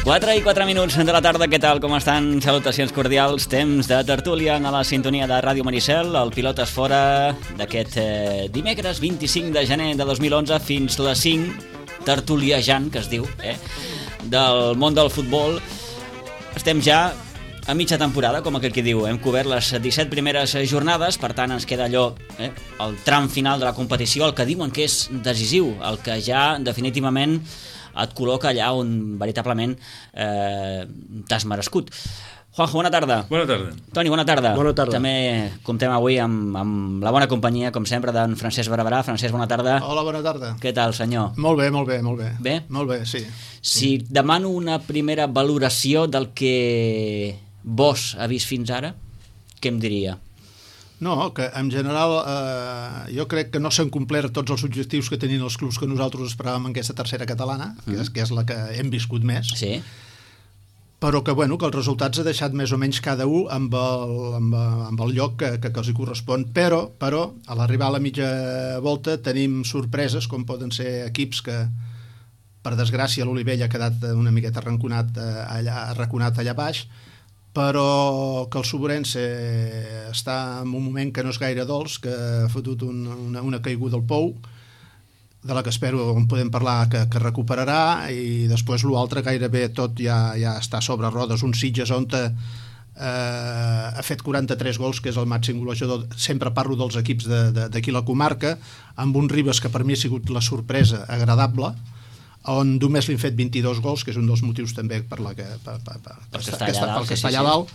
4 i 4 minuts de la tarda, què tal, com estan? Salutacions cordials, temps de tertúlia a la sintonia de Ràdio Maricel, el Pilotes Fora d'aquest dimecres 25 de gener de 2011 fins les 5, tertuliejant, que es diu, del món del futbol. Estem ja a mitja temporada, com aquell que diu, hem cobert les 17 primeres jornades, per tant ens queda allò, el tram final de la competició, el que diuen que és decisiu, el que ja definitivament et col·loca allà on veritablement t'has merescut. Juanjo, bona tarda. Bona tarda. Toni, bona tarda. Bona tarda. També comptem avui amb la bona companyia, com sempre, d'en Francesc Barberà. Francesc, bona tarda. Hola, bona tarda. Què tal, senyor? Molt bé, molt bé, molt bé. Bé? Molt bé, sí. Si demano una primera valoració del que vos ha vist fins ara, què em diria? No, que en general jo crec que no s'han complert tots els objectius que tenien els clubs que nosaltres esperàvem en aquesta tercera catalana, que és la que hem viscut més, Sí. però que, bueno, que els resultats ha deixat més o menys cada un amb el lloc que els hi correspon, però a l'arribar a la mitja volta tenim sorpreses, com poden ser equips que, per desgràcia, l'Olivella ha quedat una miqueta arraconat allà baix, però que el Soborense està en un moment que no és gaire dolç, que ha fotut una caiguda al pou, de la que espero on podem parlar que recuperarà, i després l'altre gairebé tot ja està sobre rodes. Un Sitges on ha fet 43 gols, que és el màxim golejador. Sempre parlo dels equips d'aquí la comarca, amb un Ribes que per mi ha sigut la sorpresa agradable, on només li han fet 22 gols, que és un dels motius també per està allà dalt,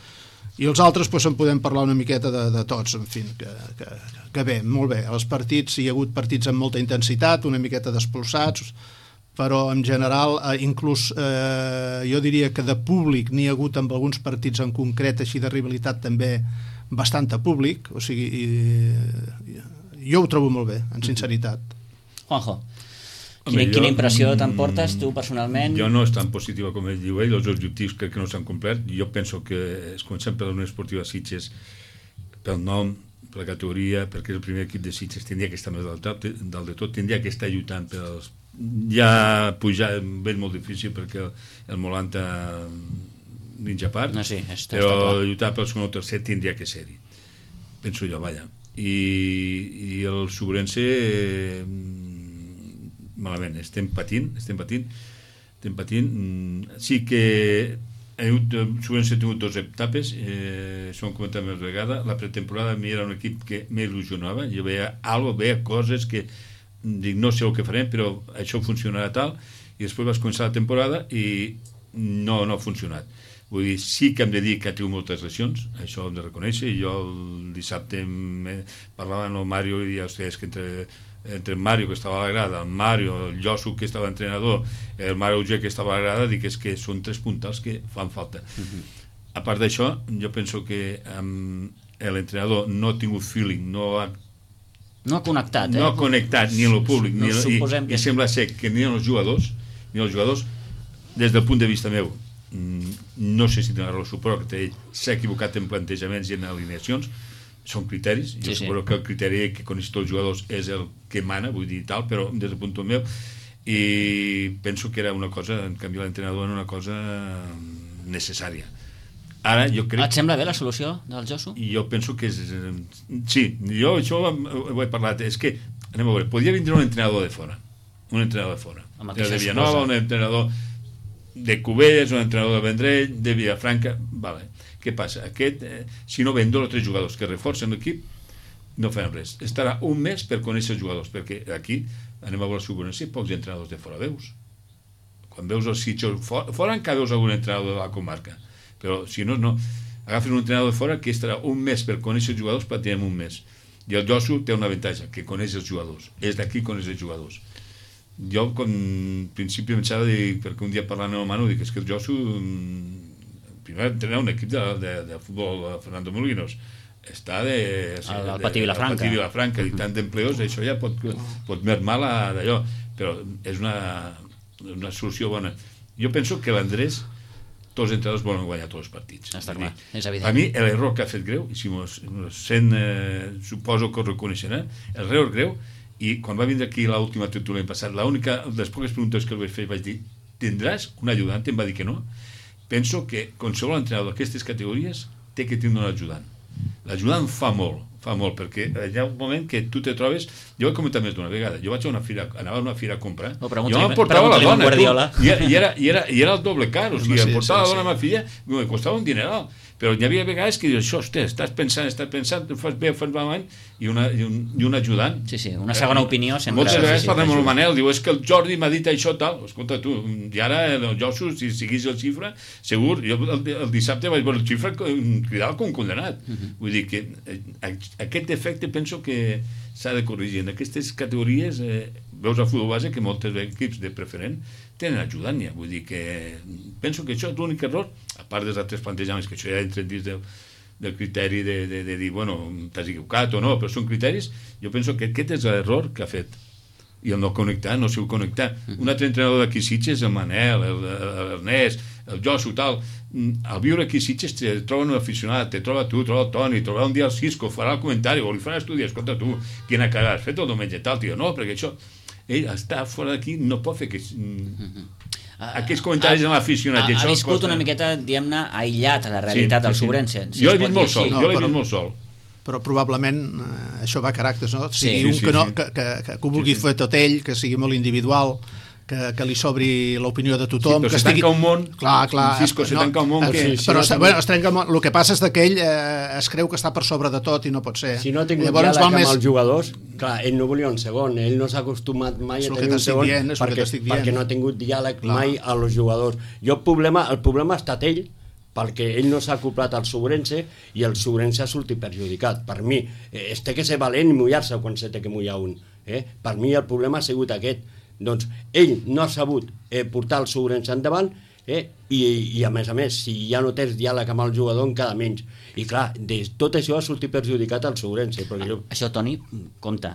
i els altres en podem parlar una miqueta de tots, en fi, que bé, molt bé. Els partits, hi ha hagut partits amb molta intensitat, una miqueta despolsats, però en general, inclús jo diria que de públic n'hi ha hagut amb alguns partits en concret, així de rivalitat també bastant a públic, o sigui, jo ho trobo molt bé, en sinceritat. Juanjo, quina impressió t'emportes tu personalment? Jo no és tan positiva com ell diu ell, els objectius crec que no s'han complert. Jo penso que es comencem per la Unió Esportiva Sitges pel nom, per la categoria, perquè és el primer equip de Sitges, tindria que estar més dalt de tot, tindria que estar lluitant pels... Ja pujar és molt difícil perquè el Molanta ninja part, no, sí, però lluitar pel segon o tercer tindria que ser-hi, penso jo, vaja. I el Soborense malament, estem patint. Sí que Soborense ha tingut 2 etapes, s'ho hem comentat més vegada. La pretemporada a mi era un equip que m'il·lusionava, jo veia coses que dic, no sé el que farem, però això funcionarà tal, i després vas començar la temporada i no ha funcionat. Vull dir, sí que hem de dir que ha tingut moltes lesions, això ho hem de reconèixer. Jo el dissabte parlava amb el Mario i ja us deies que entre el Mario, que estava a la grada, el Mario, el Josu, que estava entrenador, el Mario Uger, que estava a la grada, dic que són 3 puntals que fan falta. A part d'això, jo penso que l'entrenador no ha tingut feeling, no ha connectat ni amb el públic, i sembla ser que ni els jugadors, des del punt de vista meu, no sé si tindrà raó, suposo que s'ha equivocat en plantejaments i en alineacions, són criteris, jo suposo que el criteri que coneix tots els jugadors és el que mana, vull dir tal, però des del punt meu, i penso que era una cosa, en canvi l'entrenador era una cosa necessària, Ara, jo crec... Et sembla bé la solució del Josu? Jo penso que és... Sí, jo això ho he parlat. És que, anem a veure, podria vindre un entrenador de fora. Un entrenador de fora. De Villanova, un entrenador de Cubelles, un entrenador de Vendrell, de Villafranca... Vale. Què passa? Aquest, si no ven 2 o 3 jugadors que reforcen l'equip, no faran res. Estarà un mes per conèixer els jugadors, perquè aquí, anem a veure si ho coneixem, pocs entrenadors de fora veus. Quan veus els sitjos fora encara veus algun entrenador de la comarca, però si no, no. Agafen un entrenador de fora que estarà un mes per conèixer els jugadors, pràcticament un mes. I el Josu té un avantatge, que coneix els jugadors. És d'aquí coneix els jugadors. Jo, en principi, pensava, perquè un dia parlant amb el Manu, dic, és que el Josu... Primer entrenar un equip de futbol de Fernando Molinos, està al Patí Vilafranca i tant d'empleos, això ja pot mermar d'allò, però és una solució bona. Jo penso que l'Andrés, tots els entrenadors volen guanyar tots els partits. Està clar, és evident. A mi l'error que ha fet greu, i si sent, suposo que ho reconeixerà, l'error greu, i quan va vindre aquí l'última tertúlia l'any passat, l'única de les poques preguntes que el vaig fer, vaig dir, tindràs un ajudant? Em va dir que no. Penso que qualsevol entrenador d'aquestes categories té que tindre un ajudant. L'ajudant fa molt, perquè hi ha un moment que tu te trobes... Jo ho he comentat més d'una vegada. Jo vaig a una fira, anava a una fira a comprar, jo m'emportava la dona, i era el doble car, o sigui, emportava la dona a ma filla, em costava un dineral. Però hi havia vegades que dius, això, hòstia, estàs pensant, fas bé, fas malament, i un ajudant. Sí, una segona opinió sempre. Moltes vegades parlem amb el Manel, diu, és que el Jordi m'ha dit això, tal. Escolta, tu, i ara el Josu, si seguís el xifra, segur, jo el dissabte vaig veure el xifra cridava com condenat. Vull dir que aquest efecte penso que s'ha de corregir. En aquestes categories, veus a futbol base que molts equips de preferent tenen ajudant ja, vull dir que penso que això és l'únic error, a part dels altres plantejaments, que això ja entra dins del criteri de dir, bueno, t'has equivocat o no, però són criteris, jo penso que aquest és l'error que ha fet, i el no connectar, no sé connectar. Un altre entrenador d'aquí Sitges, el Manel, l'Ernest, el Josu, tal, al viure aquí Sitges te troba un aficionat, te troba tu, troba el Toni, trobarà un dia el Cisco, farà el comentari, o li farà estudi, escolta tu, quina cagada has fet el diumenge, tal, tio, no, perquè això... Ell està fora d'aquí, no pot fer aquests comentaris amb l'aficionat. Ha viscut una miqueta, diguem-ne, aïllat a la realitat del Sobrense. Jo l'he vist molt sol, molt sol. Però probablement això va a caràcters, no? Sigui un que ho vulgui fer tot ell, que sigui molt individual, que li sobri l'opinió de tothom. Sí, però se tanca un món, Cisco, se tanca un món però es trenca el món. El que passa és que ell es creu que està per sobre de tot i no pot ser. Si no ha tingut diàleg amb els jugadors, clar, ell no volia un segon, ell no s'ha acostumat mai a tenir un segon perquè no ha tingut diàleg mai a els jugadors. El problema ha estat ell, perquè ell no s'ha acoplat al Sobrense i el Sobrense ha sortit perjudicat. Per mi, es té que ser valent i mullar-se quan se té que mullar un. Per mi el problema ha sigut aquest. Doncs ell no ha sabut portar el Sobrense endavant i a més, si ja no tens diàleg amb el jugador encara menys. I clar, tot això ha sortit perjudicat al Sobrense. Això, Toni, compte,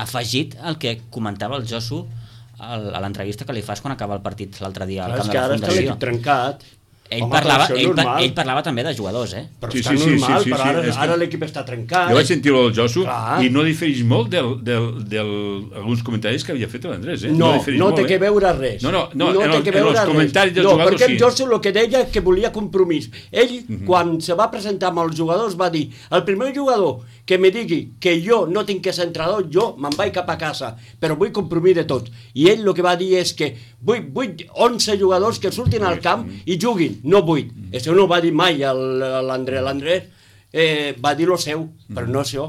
afegit el que comentava el Josu a l'entrevista que li fas quan acaba el partit l'altre dia al camp de la Fundació. És que ara està l'equip trencat. Ell parlava també de jugadors, Però està normal, però ara l'equip està trencat. Jo vaig sentir-ho del Josu i no difereix molt d'alguns comentaris que havia fet l'Andrés. No té que veure res. No, en els comentaris dels jugadors sí. Perquè el Josu el que deia que volia compromís. Ell, quan se va presentar amb els jugadors, va dir, el primer jugador que me digui que jo no tinc que ser entrenador, jo me'n vaig cap a casa, però vull compromís de tots. I ell el que va dir és que vull 11 jugadors que surtin al camp i juguin, no 8. Això no ho va dir mai l'Andrés. L'Andrés va dir el seu, però no això.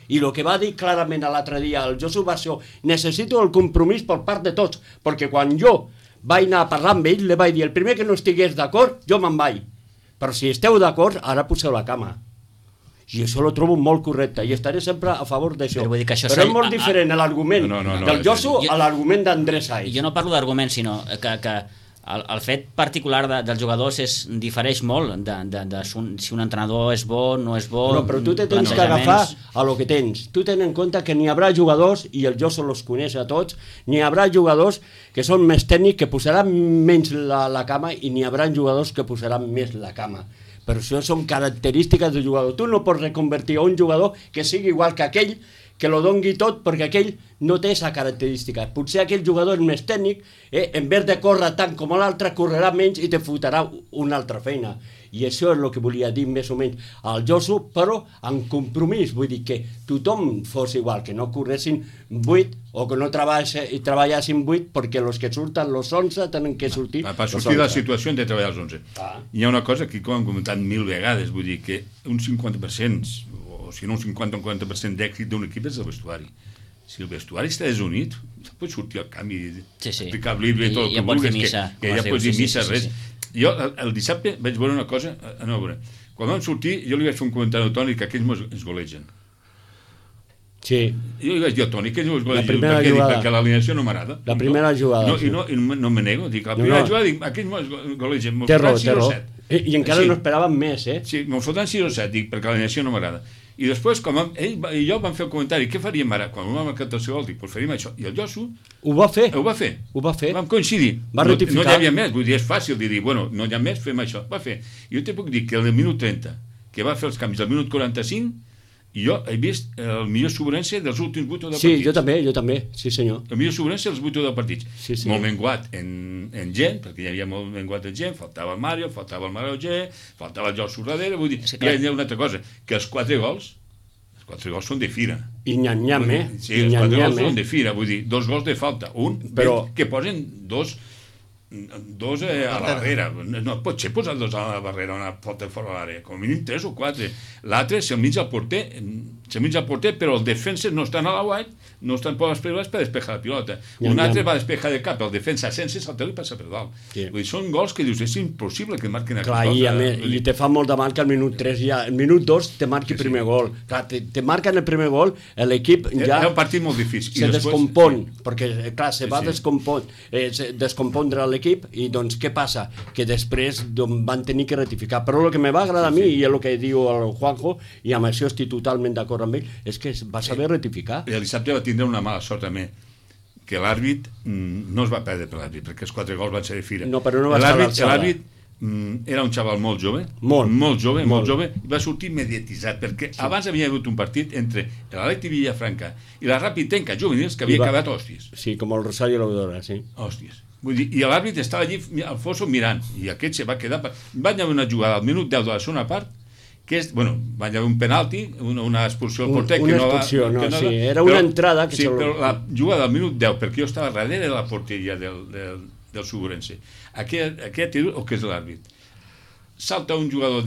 I el que va dir clarament l'altre dia el Josu va ser, necessito el compromís per part de tots, perquè quan jo vaig anar a parlar amb ell, li vaig dir, el primer que no estigués d'acord, jo me'n vaig. Però si esteu d'acord, ara poseu la cama. I això lo trobo molt correcte i estaré sempre a favor d'això. Però és molt diferent l'argument del Josu a l'argument d'Andrés Saiz. Jo no parlo d'argument, sinó que el fet particular dels jugadors difereix molt de si un entrenador és bo, no és bo. Però tu te tens que agafar a lo que tens. Tu ten en compte que n'hi haurà jugadors, i el Josu los coneix a tots, n'hi haurà jugadors que són més tècnics, que posaran menys la cama, i n'hi haurà jugadors que posaran més la cama. Però això són característiques del jugador. Tu no pots reconvertir a un jugador que sigui igual que aquell que lo dongui tot, perquè aquell no té aquesta característica. Potser aquell jugador és més tècnic, en vez de córrer tant com l'altre, correrà menys i te fotrà una altra feina. I això és el que volia dir més o menys al Josu, però en compromís, vull dir que tothom fos igual, que no corressin 8 o que no treballessin 8 perquè els que surten els 11 tenen que sortir per sortir de la situació hem de treballar els 11. Hi ha una cosa que com hem comentat 1000 vegades, vull dir que un 50%, o si no un 50 o un 40% d'èxit d'un equip és el vestuari. Si el vestuari està desunit, pots sortir al camp i explicar el llibre i tot el que vulguis, que ja pots dir missa, res. Jo el dissabte vaig veure una cosa, quan vam sortir jo li vaig fer un comentari al Toni que aquells ens golegen. Sí. Jo li vaig dir al Toni que ells ens golegen perquè l'alineació no m'agrada. La primera jugada. I no me nego, dic, la primera jugada dic, aquells ens golegen, té raó. I encara no esperaven més, Sí, me'n fotran 6 o 7, dic, perquè l'alineació no m'agrada. I després, com ell i jo vam fer el comentari, què faríem ara? Quan vam marcar el tercer gol, dic, pues faríem això. I el Josu ho va fer. Vam coincidir. Va rectificar. No hi havia més, vull dir, és fàcil de dir, bueno, no hi ha més, fem això. Va fer. Jo te puc dir que el minut 30, que va fer els canvis al minut 45, jo he vist el millor Sobrense dels últims 8 del partit. Sí, jo també, sí senyor. El millor Sobrense dels 8 del partit. Sí. Molt menguat en gent, perquè hi havia molt menguat en gent, faltava el Mario, faltava el Marauger, faltava el Josu darrere, vull dir, hi ha una altra cosa, que els 4 gols són de fira. I nyam-nyam, Sí, els 4 gols són de fira, vull dir, 2 gols de falta. Que posen dos a la barrera. No pot ser posar 2 a la barrera, una falta fora de l'àrea. Com a mínim 3 o 4. L'altre se'l mig al porter, però els defenses no estan a la white, no estan per les primeres per despejar la pilota. Un altre va despejar de cap, el defensa sense saltar i passa per dalt. Vull dir, són gols que dius, és impossible que marquin aquesta cosa. I te fa molt de mal que al minut 3 ja, al minut 2 te marqui el primer gol. Clar, te marquen el primer gol, l'equip ja... Era un partit molt difícil. Se descompon, perquè, clar, se va descompondre l'equip i doncs què passa? Que després van tenir que rectificar. Però el que me va agradar a mi, i és el que diu el Juanjo, i amb això estic totalment d'acord amb ell, és que va saber rectificar. El dissabte va tindre una mala sort també, que l'àrbit no es va perdre per l'àrbit, perquè els 4 gols van ser de fira. No, però no va estar a l'alçada. L'àrbit era un xaval molt jove, molt jove, i va sortir mediatitzat, perquè abans havia hagut un partit entre l'Atleti Villafranca i la Rapitenca juvenils que havia acabat hòsties. Sí, com el Rosario Laudora, sí. Hòsties. Vull dir, i l'àrbit estava allí al fosso mirant, i aquest se va quedar... Van haver una jugada al minut 10 de la segona part, que és, bueno, va haver un penalti, una expulsió al porter, una expulsió, era una entrada que... Sí, però la jugada al minut 10, perquè jo estava darrere de la porteria del Sobrense. Aquest és el que és l'àrbit. Salta un jugador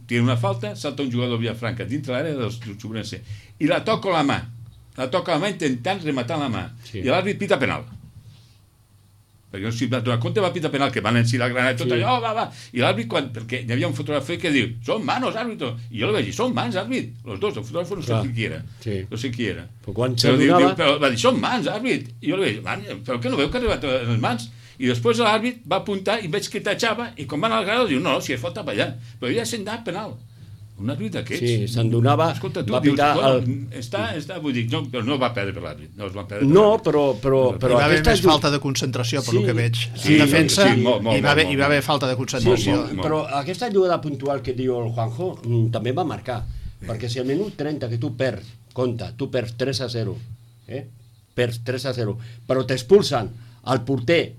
tira una falta, salta un jugador de Villafranca dintre l'àrea del Sobrense, i la toca a la mà intentant rematar la mà, i l'àrbit pita penal. Perquè no s'hi va donar compte, va pitar penal, que van encir la granada, tot allò, va. I l'àrbit, perquè hi havia un fotògraf que diu, són manos, àrbitro. I jo li vaig dir, són mans, àrbit. Els dos, el fotògraf no sé qui era. No sé qui era. Però va dir, són mans, àrbit. I jo li vaig dir, però que no veu que ha arribat a les mans? I després l'àrbit va apuntar i veig que tachava, i quan van al granada diu, no, si és falta per allà. Però ja s'ha anat penal. Un àrbit d'aquests. Sí, se'n donava... Escolta, tu dius, està, vull dir, però no va perdre per l'àrbit. No, però hi va haver més falta de concentració, per el que veig. En defensa hi va haver falta de concentració. Però aquesta jugada puntual que diu el Juanjo també va marcar, perquè si al minut 30 que tu perds, compta, tu perds 3-0, perds 3-0, però t'expulsen al porter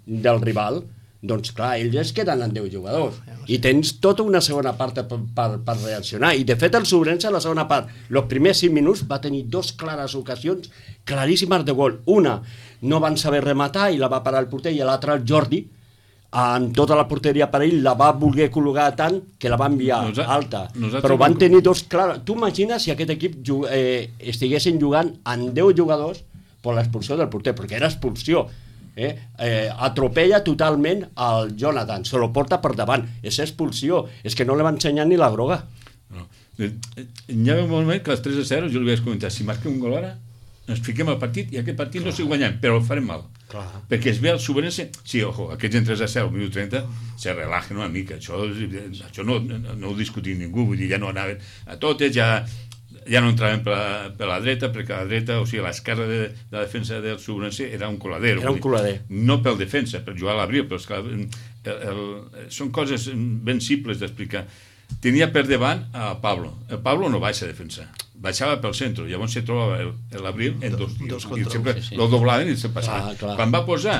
del rival, doncs clar, ells es queden en 10 jugadors i tens tota una segona part per reaccionar, i de fet el Sobrense a la segona part, els primers 5 minuts va tenir 2 clares ocasions claríssimes de gol. Una no van saber rematar i la va parar el porter, i l'altra el Jordi amb tota la porteria per ell la va voler col·locar tant que la va enviar alta, però van tenir 2 clares. Tu imagines si aquest equip estiguessin jugant amb 10 jugadors per l'expulsió del porter, perquè era expulsió. Atropella totalment el Jonathan, se lo porta per davant, és expulsió, és que no li va ensenyar ni la groga. Hi ha un moment que a les 3-0 jo li vaig comentar, si marquem un gol ara ens fiquem al partit i aquest partit no s'hi guanyem, però el farem mal, perquè es ve el Sobrense, sí, ojo, aquests en 3-0 al minut 30 se relajen una mica, això no ho discutim ningú, vull dir, ja no anaven a totes, ja no entraven per la dreta, perquè a la dreta, o sigui, a l'esquerra de la defensa del Sobrense era un coladero. Era un colader. No pel defensa, per jugar a l'abril, però són coses ben simples d'explicar. tenia per davant a Pablo. El Pablo no baixa a defensar, baixava pel centre, llavors se trobava l'Abril en dos tios, i sempre lo doblaven i se passava. Quan va posar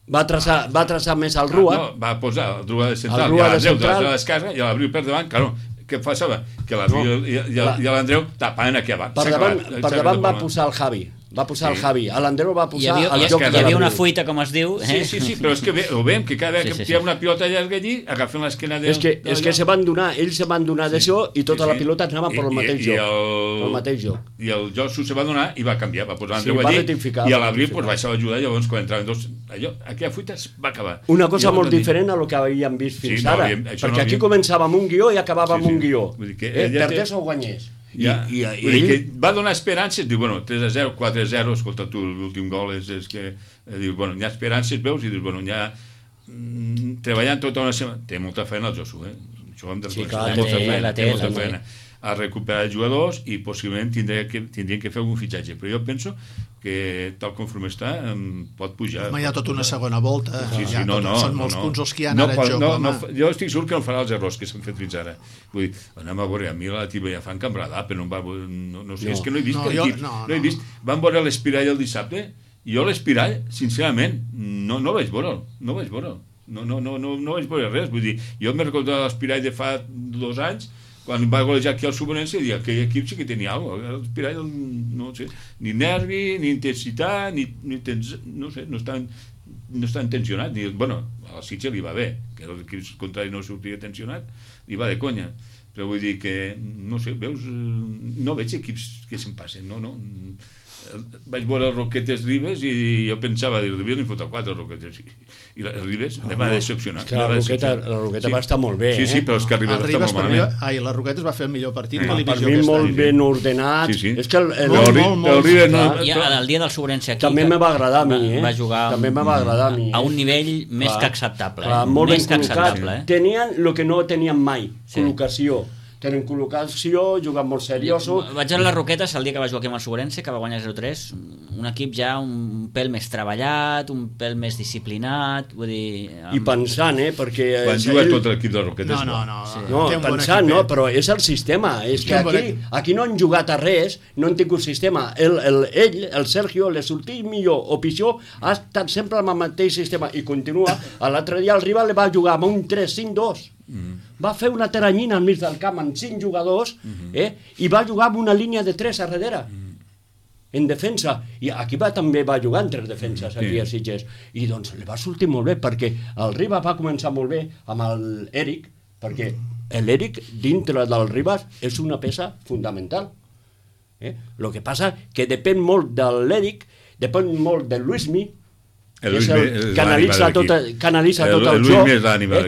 va traçar més al Rua. No, va posar el Rua de central, i a l'Andreu de l'esquerra, i a l'Abril per davant, claro, què passava? Que l'Abril i l'Andreu tapaven aquí avall. Per davant va posar el Javi. Va posar el Javi, a l'Andreu va posar el joc de l'Abril. Hi havia una fuita, com es diu. Sí, però és que ho veiem, que cada vegada que hi ha una pilota llarga allí, agafen l'esquena del... És que se van donar, ells se van donar d'això i tota la pilota anava per el mateix joc. I el Josu se va donar i va canviar, va posar l'Andreu allí, i a l'Abril baixava a ajudar, llavors quan entraven dos... Aquella fuita es va acabar. Una cosa molt diferent a lo que havíem vist fins ara, perquè aquí començava amb un guió i acabava amb un guió. Perdés o guanyés. Que va donar esperances, diu, bueno, 3-0, 4-0, escolta tu, l'últim gol és que dius, bueno, hi ha esperances, veus, i dius, bueno, hi ha treballant tota una setmana, té molta feina el Josu, això hem de reconèixer, té molta feina a recuperar jugadors i possiblement tindrien que fer algun fitxatge, però jo penso que tal com està pot pujar. Hi ha tota una segona volta, són molts punts els que hi ha ara en joc. Jo estic segur que no farà els errors que s'han fet fins ara. Vull dir, anem a veure, a mi la Tiba ja fan cambradà, però no sé, és que no he vist equip, no he vist. Van veure l'Espirall el dissabte, i jo l'Espirall, sincerament, no vaig veure'l, no vaig veure res, vull dir, jo m'he recordat l'Espirall de fa 2 anys, quan va golejar aquí al Subonense, i aquell equip sí que tenia alguna cosa. L'Espirall, no sé, ni nervi, ni intensitat, no sé, no estan tensionats. Bueno, al Sitges li va bé, que l'equip contrari no sortia tensionat, li va de conya. Però vull dir que, no sé, veus, no veig equips que se'n passen, no. Vaig veure el Roquetes Ribes i jo pensava, el Ribes n'hi fota 4 Roquetes, i el Ribes me va decepcionar. La Roqueta va estar molt bé, Sí, però és que el Ribes va estar molt malament. La Roquetes va fer el millor partit de la per divisió. mi molt ben ordenat. És que el Ribes no... El dia del Sobrense aquí... També me va agradar a mi, Va jugar a un nivell més que acceptable. Molt ben col·locat. Tenien el que no tenien mai, col·locació. Tenen col·locació, juguen molt serioso. Vaig a les Roquetes el dia que va jugar aquí amb el Sobrense, que va guanyar 0-3, un equip ja un pèl més treballat, un pèl més disciplinat, vull dir... I pensant, perquè... Quan juga tot l'equip de Roquetes... No, pensant, però és el sistema. És que aquí no han jugat a res, no han tingut sistema. Ell, el Sergio, le sortit millor o pitjor, ha estat sempre amb el mateix sistema i continua. L'altre dia el rival va jugar amb un 3-5-2. Va fer una teranyina al mig del camp amb 5 jugadors i va jugar amb una línia de 3 a darrere en defensa, i aquí també va jugar en 3 defenses aquí a Sitges, i doncs li va sortir molt bé, perquè el Ribas va començar molt bé amb l'Eric, perquè l'Eric dintre del Ribas és una peça fundamental. El que passa que depèn molt de l'Eric, depèn molt de Luismi, canalitza tot el joc,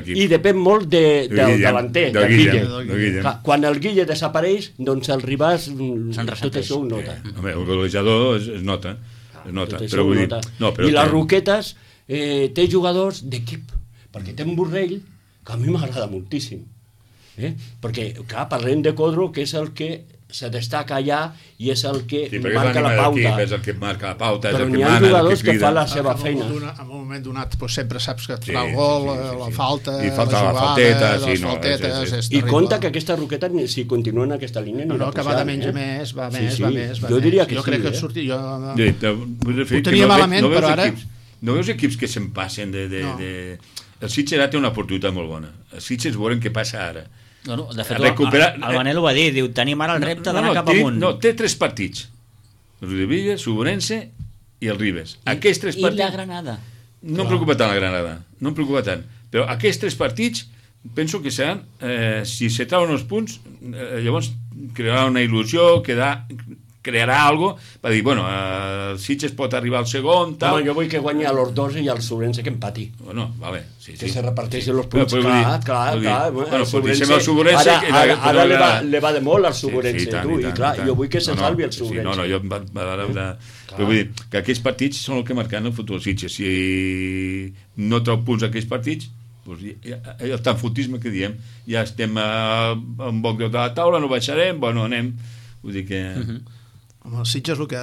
i depèn molt del delanter, del Guille. Quan el Guille desapareix, doncs el Ribas tot això ho nota. El golejador es nota. I les Roquetes té jugadors d'equip, perquè té un Borrell que a mi m'agrada moltíssim, perquè clar, parlem de Codro, que és el que se destaca allà i és el que marca la pauta. És el que marca la pauta, però n'hi ha jugadors que fan la seva feina. En un moment donat sempre saps que et fa el gol, la falta, i falta la falteta, les faltetes, i compta que aquesta Roqueta, si continua en aquesta línia, no, que va de menys a més, va més. Jo diria que sí. Jo crec que sortir, ho tenia malament, però ara... No veus equips que se'n passen de... El Sitges ara té una oportunitat molt bona. El Sitges veurem què passa ara. De fet, el Manel ho va dir, diu, tenim ara el repte d'anar cap amunt. No, té 3 partits. El Rodevilla, Subonense i el Ribes. Aquests 3 partits... I la Granada. No em preocupa tant la Granada, no em preocupa tant. Però aquests 3 partits penso que seran, si se trauen els punts, llavors crearà una il·lusió, crearà algo per dir, bueno, el Sitges pot arribar al segon, tal... Home, jo vull que guanyi a los dos i al Sobrense que empati. Bueno, vale, sí. Que se reparteixen els punts, clar. Bueno, pues deixem el Sobrense... Ara le va de molt al Sobrense, tu, i clar, jo vull que se salvi el Sobrense. No, jo... Però vull dir que aquests partits són el que marquen el futur del Sitges. Si no treu punts aquells partits, el tanfotisme que diem, ja estem a un boc de la taula, no baixarem, bueno, anem... Vull dir que... Amb el Sitges el que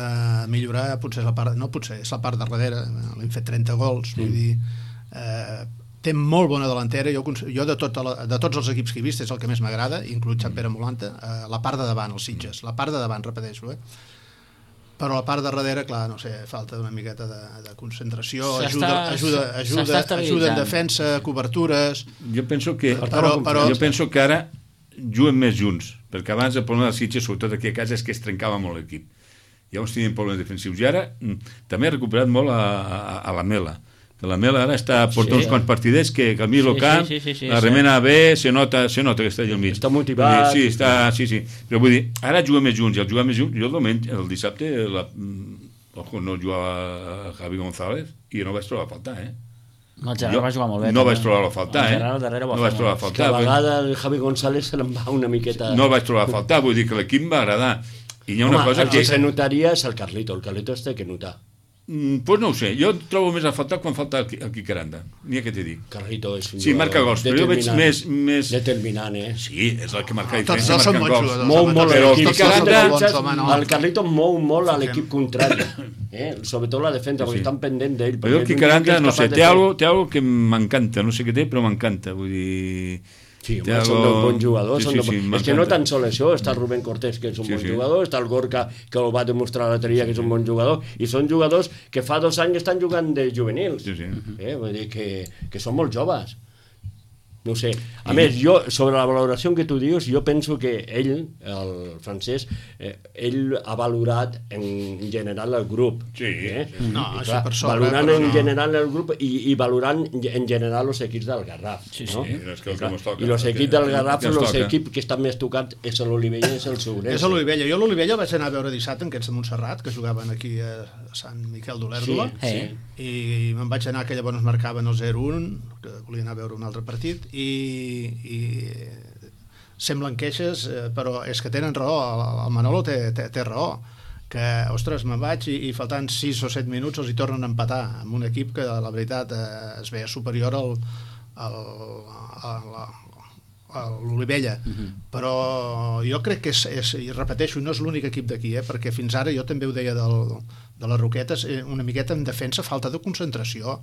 millorar potser és la part, no potser, és la part de darrere, l'hem fet 30 gols, vull dir, té molt bona delantera. Jo de tots els equips que he vist és el que més m'agrada, inclús Sant Pere Molanta, la part de davant, els Sitges, la part de davant, repeteixo, però la part de darrere, clar, no sé, falta una miqueta de concentració, ajuda en defensa, cobertures. Jo penso que ara juguen més junts, perquè abans el problema dels Sitges, sobretot aquí a casa, és que es trencava molt l'equip. Llavors tenien problemes defensius. I ara també ha recuperat molt a la Mela, que la Mela ara porta uns quants partidets que al mig del camp, la remena bé, se nota que està allà al mig. Està motivat. Sí. Però vull dir, ara juga més junts, i al jugar més junts, jo el dissabte no jugava Javi González i no vaig trobar a faltar, El Gerard va jugar molt bé. No vaig trobar a faltar, No vaig trobar a faltar. Que a vegada el Javi González se l'en va una miqueta... No vaig trobar a faltar, vull dir que l'equip va agradar. I hi ha una cosa el que se notaria és el Carlito es té que notar. Pues no ho sé, jo trobo més a faltar quan falta el Quicaranda, n'hi ha que t'he dit. Carlito és un marca gols, però jo veig més... Determinant, Sí, és el que marca Tots diferència, dos són bons jugadors. Però el Quicaranda... El Carlito mou molt a l'equip contrari, sobretot la defensa, perquè estan pendent d'ell. Però el Quicaranda, no sé, té algo que m'encanta, no sé què té, però m'encanta, vull dir... Sí, són dos bons jugadors. És que no tan sol això, està el Rubén Cortés, que és un bon jugador, està el Gorka, que el va demostrar l'altre dia, que és un bon jugador, i són jugadors que fa 2 anys estan jugant de juvenils. Vull dir que són molt joves. No sé. A més, jo, sobre la valoració que tu dius, jo penso que ell, el francès, ell ha valorat en general el grup. No, això per sobre. Valorant en general el grup i valorant en general els equips del Garraf. I els equips del Garraf, els equips que estan més tocats és l'Olivella i és el Segurense. És l'Olivella. Jo l'Olivella vaig anar a veure dissabte en aquests de Montserrat, que jugaven aquí a Sant Miquel d'Olèrdola, i me'n vaig anar, que llavors marcaven el 0-1, que volia anar a veure un altre partit, i semblen queixes, però és que tenen raó, el Manolo té raó, que, ostres, me'n vaig i faltant 6 o 7 minuts els hi tornen a empatar amb un equip que la veritat es veia superior a l'Olivella, però jo crec que i repeteixo, no és l'únic equip d'aquí, perquè fins ara jo també ho deia de les Roquetes, una miqueta en defensa, falta de concentració,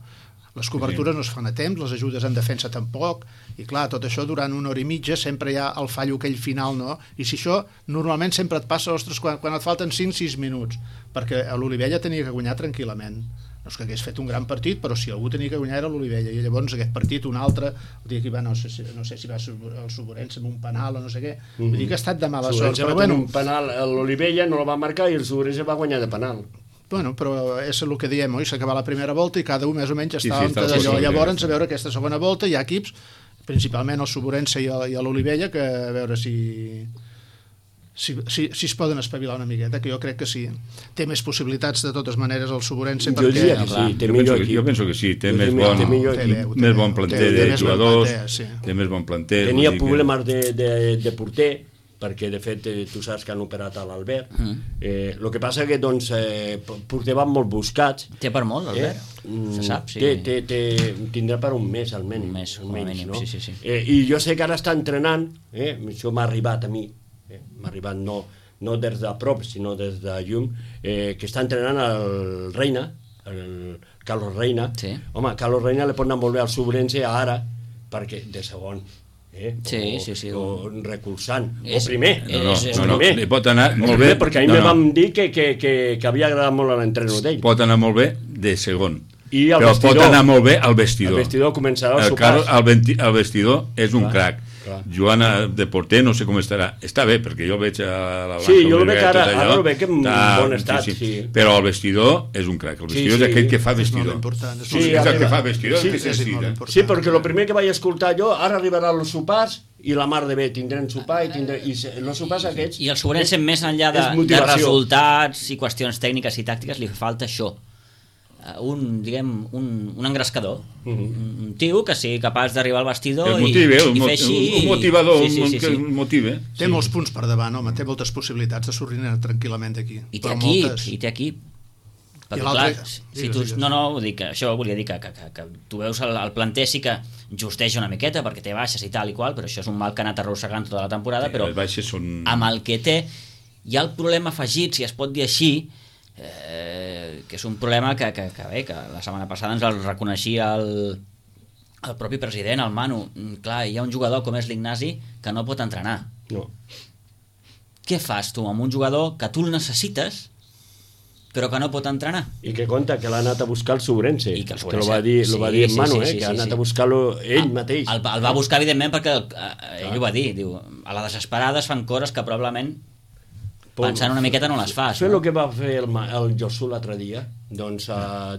les cobertures no es fan a temps, les ajudes en defensa tampoc, i clar, tot això durant 1 hora i mitja sempre hi ha el fallo aquell final, no? I si això normalment sempre et passa, ostres, quan et falten 5-6 minuts, perquè l'Olivella tenia que guanyar tranquil·lament. No és que hagués fet un gran partit, però si algú tenia que guanyar era l'Olivella, i llavors aquest partit, un altre, el dia que va, no sé si va el Segurense amb un penal o no sé què, vull dir que ha estat de mala sort. Però bueno, un penal, l'Olivella no el va marcar i el Segurense va guanyar de penal. Bueno, però és el que diem, oi? S'acaba la primera volta i cada un més o menys està d'allò. Llavors, a veure aquesta segona volta, hi ha equips, principalment el Segurense i l'Olivella, que a veure si es poden espavilar una miqueta, que jo crec que sí. Té més possibilitats, de totes maneres, el Segurense, perquè... Jo diria que sí, té millor equip. Jo penso que sí, té més bon planter de jugadors, té més bon planter. Tenia problemes de porter, perquè de fet tu saps que han operat a l'Albert. El que passa que doncs porter van molt buscats. Té per molt l'Albert? Se sap, sí. Tindrà per un mes almenys. Un mes, no? Sí. I jo sé que ara està entrenant, això m'ha arribat a mi, m'ha arribat no des de prop, sinó des de llum, que està entrenant el Reina, el Carlos Reina. Home, Carlos Reina li pot anar molt bé al Segurense ara, perquè de segon, o recolzant, o primer. No, li pot anar molt bé. Perquè a mi me vam dir que havia agradat molt l'entrenador d'ell. Pot anar molt bé de segon, però pot anar molt bé al vestidor. El vestidor començarà el sopars. El vestidor és un crac. Joan de porter no sé com estarà. Està bé, perquè jo el veig a la blanca. Sí, jo el veig ara el veig en bon estat. Però el vestidor és un crac. El vestidor és aquell que fa vestidor. Sí, és el que fa vestidor. Sí, perquè el primer que vaig escoltar jo, ara arribarà els sopars i la mar de bé, tindrem sopar i els sopars aquests... I el Segurense, més enllà de resultats i qüestions tècniques i tàctiques, li falta això. Un engrescador, un tio que sigui capaç d'arribar al vestidor i fer així, un motivador, que motive. Té molts punts per davant, home, té moltes possibilitats de sortir tranquil·lament d'aquí. I té equip. Perquè clar, vull dir que això volia dir que tu veus el planter sí que justeja una miqueta perquè té baixes i tal i qual, però això és un mal que ha anat arrossegant tota la temporada, però amb el que té hi ha el problema afegit, si es pot dir així, que és un problema que la setmana passada ens el reconeixia el propi president, el Manu, clar, hi ha un jugador com és l'Ignasi que no pot entrenar. No. Què fas tu amb un jugador que tu el necessites però que no pot entrenar? I que conta que l'ha anat a buscar el Sobrense, I que el que lo va dir en Manu, que ha anat a buscar-lo ell mateix. El va buscar, evidentment, perquè ell ho va dir, diu, a la desesperada es fan coses que probablement pensant una miqueta no les fas. Això és el que va fer el Josu l'altre dia, doncs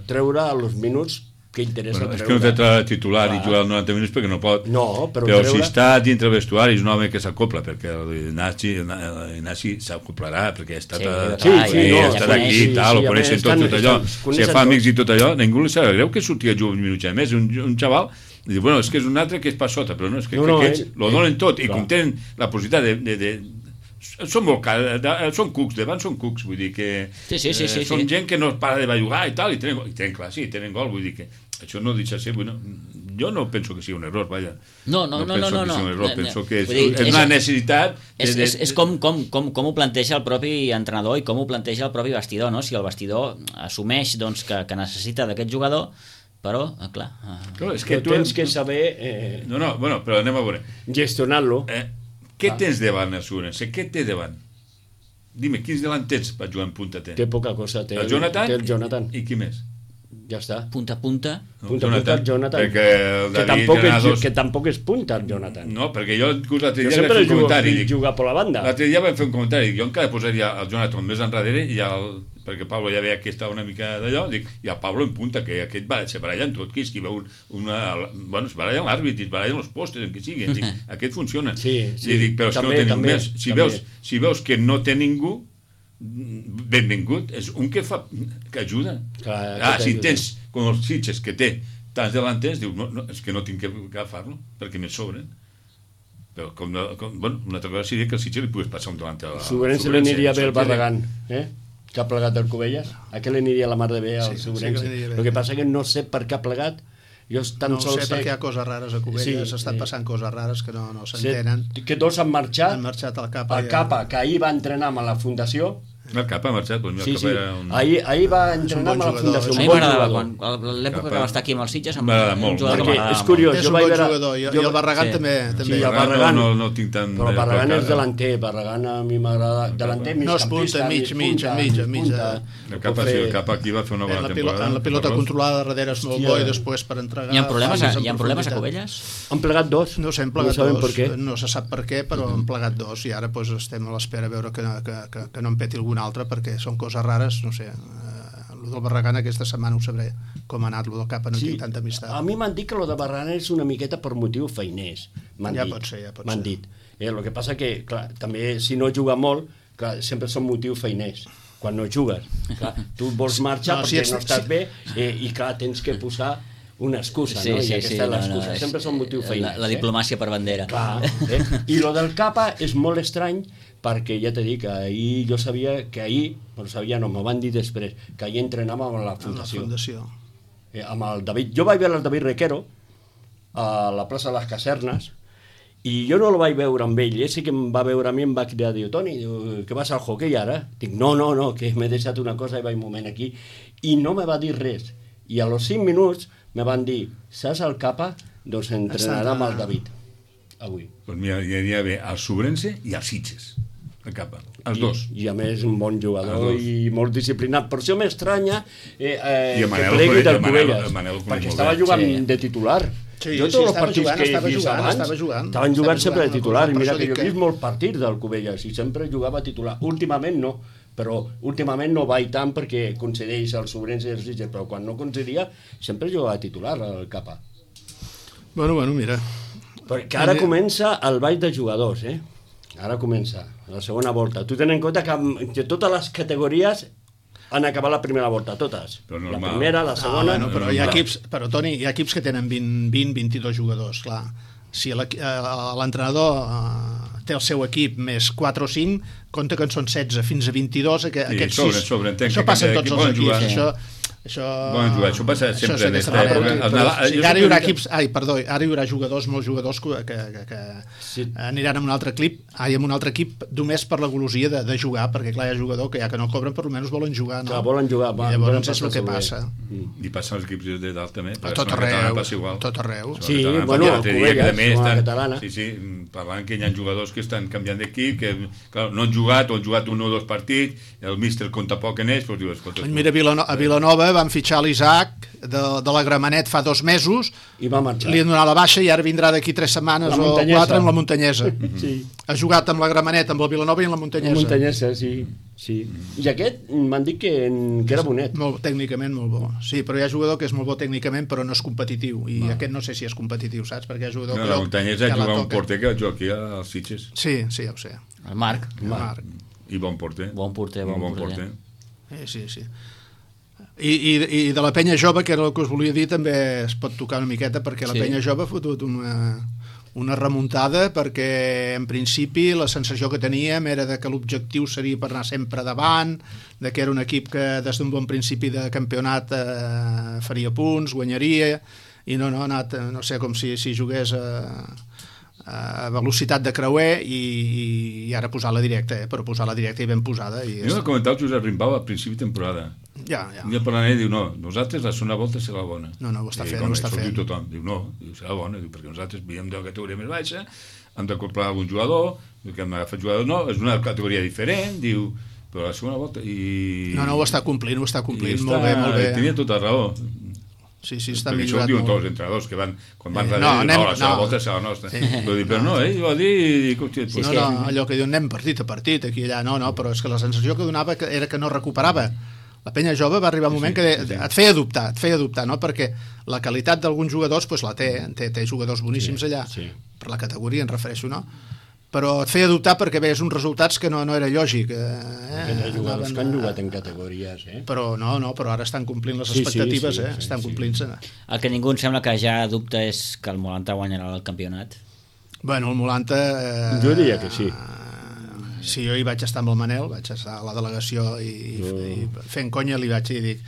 treure els minuts que interessa treure. És que no té titular i jugar 90 minuts perquè no pot. No, però si està dintre el vestuari és un home que s'acopla, perquè l'Ignasi s'acoplarà, perquè ha estat aquí i tal, ho coneixen tot allò. Si fa amics i tot allò, ningú li sap greu que sortia a jugar un minut ja més, un xaval, i diu, bueno, és que és un altre que és per sota, però no, és que aquests lo donen tot, i com tenen la possibilitat de són molt cares, són cucs, davant són cucs, vull dir que són gent que no para de bellugar i tal, i tenen gol, vull dir que això no deixa ser, jo no penso que sigui un error, vaja. No. Penso que és una necessitat. És com ho planteja el propi entrenador i com ho planteja el propi vestidor, no? Si el vestidor assumeix que necessita d'aquest jugador, però, clar... És que tu tens que saber... però anem a veure. Gestionar-lo. Què tens davant, Assurense? Què té davant? Dime, quins davant tens per jugar en punta? Té poca cosa. Té el Jonathan. I qui més? Ja està. Punta a punta. Jonathan. Que tampoc és punta, el Jonathan. No, perquè jo l'altre dia vaig fer un comentari. Jugar per la banda. L'altre dia vaig fer un comentari. Jo encara posaria el Jonathan més enrere perquè Pablo ja veia que estava una mica d'allò, i el Pablo en punta, que aquest se baralla en tot, que es veu es baralla en l'àrbit, es baralla en els postes, en què sigui. Aquest funciona. Però és que no té ningú més. Si veus que no té ningú, benvingut, és un que ajuda. Si tens com els Sitges que té tants delanters, dius, és que no tinc que agafar-lo perquè me sobren. Però una altra cosa seria que el Sitges li pogués passar un delanter a la Sobrense li aniria bé el Barragán, que ha plegat del Cubelles. A què li aniria la mar de bé al Sobrense? El que passa que no sé per què ha plegat. No sé perquè hi ha coses rares a Cubelles, s'estan passant coses rares que no s'entenen. Que dos han marxat al Capa. El Capa, que ahir va entrenar amb la Fundació. El Capa ha marxat, ahir va entrenar amb la Fundació. A mi m'agradava, l'època que va estar aquí amb els Sitges, m'agradava molt. És curiós, és un bon jugador, i el Barragán també. Sí, el Barragán no tinc tant... Però el Barragán és delanter, Barragán a mi m'agrada. Delanter, migcampista. No, és punta, mig. El Capa aquí va fer una bona temporada. En la pilota controlada darrere és molt bo i després per entregar... Hi ha problemes a Cubelles? Han plegat dos. No sé, han plegat dos. No se sap per què, però han plegat dos i ara estem a l'espera a veure que no en peti algun altre, perquè són coses rares, no sé. El del Barragán aquesta setmana ho sabré com ha anat, el del Capa no tinc tanta amistat. A mi m'han dit que el de Barragán és una miqueta per motiu feiners. Ja pot ser. M'han dit. El que passa que, clar, també si no juga molt, clar, sempre són motius feiners. Quan no jugues, clar, tu vols marxar perquè no estàs bé i clar, tens que posar una excusa, no? I aquesta és l'excusa. Sempre són motius feiners. La diplomàcia per bandera. Clar. I el del Capa és molt estrany perquè ja t'he dit que ahir jo sabia que ahir, m'ho van dir després, que ahir entrenava amb la Fundació. Amb el David. Jo vaig veure el David Requero a la plaça de les Casernes i jo no el vaig veure amb ell, sí que em va veure a mi, em va cridar, diu, Toni, que vas al hoquei ara? Dic, no, que m'he deixat una cosa i vaig un moment aquí i no me va dir res. I a los 5 minuts me van dir, saps el Capa? Doncs entrenarà amb el David avui. Doncs mira, hi aniria bé al Sobrense i als Sitges. El Capa, els dos. I a més un bon jugador i molt disciplinat. Per això m'estranya que Manel, plegui del Cubelles, perquè estava jugant de titular. Jo tots els partits que he vist abans estaven jugant sempre de titular, i mira que jo he vist molts partits del Cubelles i sempre jugava titular. Últimament no, però últimament no vaig tant perquè concedeix el Sobrense i els Sitges, però quan no concedia sempre jugava titular el Capa. Bueno, mira. Perquè ara comença el ball de jugadors, Ara comença la segona volta. Tu ten en compte que totes les categories han acabat la primera volta, totes. La primera, la segona... Però hi ha equips, Toni, hi ha equips que tenen 20-22 jugadors, clar. Si l'entrenador té el seu equip més 4 o 5, compta que en són 16 fins a 22, això passa en tots els equips. Això... Bon jugar, això passa sempre en aquesta aquesta manera. època. Sí, ara hi haurà equips... Perdó, ara hi haurà jugadors, molts jugadors que Sí. aniran amb un altre equip només per la golosia de jugar, perquè clar, hi ha jugadors que ja que no cobren, per almenys volen jugar, no? Que volen jugar, I llavors és el que passa. I passa als equips de dalt també. A tot arreu, passa igual. tot arreu. Sí, Catalana, bueno, l'altre dia que Covelles, també la estan- catalana. Sí, parlant que hi ha jugadors que estan canviant d'equip, que clar, no han jugat o han jugat un o dos partits, el míster compta poc en ells, però diu, escolta... Mira, a Vilanova van fitxar l'Isaac de la Gramenet fa 2 mesos, I va marxar. li han donat la baixa i ara vindrà d'aquí 3 setmanes La o Muntanyesa. 4 amb la Muntanyesa. Sí. Ha jugat amb la Gramenet, amb la Vilanova i amb la Muntanyesa. Muntanyesa, sí. I aquest m'han dit que era bonet. Molt, tècnicament molt bo. Sí, però hi ha jugador que és molt bo tècnicament però no és competitiu, i aquest no sé si és competitiu, saps? Perquè hi ha jugador No, la Muntanyesa que la juga un toca. porter que va jugar aquí als Sitges. Sí, ja ho sé. El Marc. Marc. I bon porter. Bon porter, bon porter. Sí. I de la penya jove, que era el que us volia dir, també es pot tocar una miqueta, perquè la penya jove ha fotut una remuntada, perquè en principi la sensació que teníem era de que l'objectiu seria per anar sempre davant, de que era un equip que des d'un bon principi de campionat faria punts, guanyaria, i no ha anat, no sé, com si jugués a velocitat de creuer i ara posar la directa, però posar la directa i ben posada. Jo he comentat el Josep Rimbau al principi de temporada. Ja. Un dia parlant ell diu, no, nosaltres la segona volta serà la bona. No, ho està I fent, com ho està això fent. Diu tothom, diu, no, serà bona, diu, perquè nosaltres veiem de la categoria més baixa, hem d'acoplar algun jugador, que hem agafat jugadors, no, és una categoria diferent, diu, però la segona volta... No, ho està complint, I molt bé. tenia tota raó. Sí, està perquè això ho millorat diuen molt. tots els entrenadors que van, quan van darrere, la segona volta serà la nostra. Però no, ell va dir... Allò que diuen, anem partit a partit, aquí i allà, no, però és que la sensació que donava era que no recuperava. La penya jove va arribar un moment que et feia dubtar, no? Perquè la qualitat d'alguns jugadors la té jugadors boníssims allà, per la categoria, em refereixo, no? Però et feia dubtar perquè veies uns resultats que no era lògic. Hi ha jugadors que han jugat en categories, Però però ara estan complint les expectatives, estan complint-se. El que ningú em sembla que ja dubta és que el Molanta guanyarà el campionat. Bueno, el Molanta... Jo diria que sí. Sí, jo hi vaig estar amb el Manel, vaig estar a la delegació i fent conya li vaig dir, dic,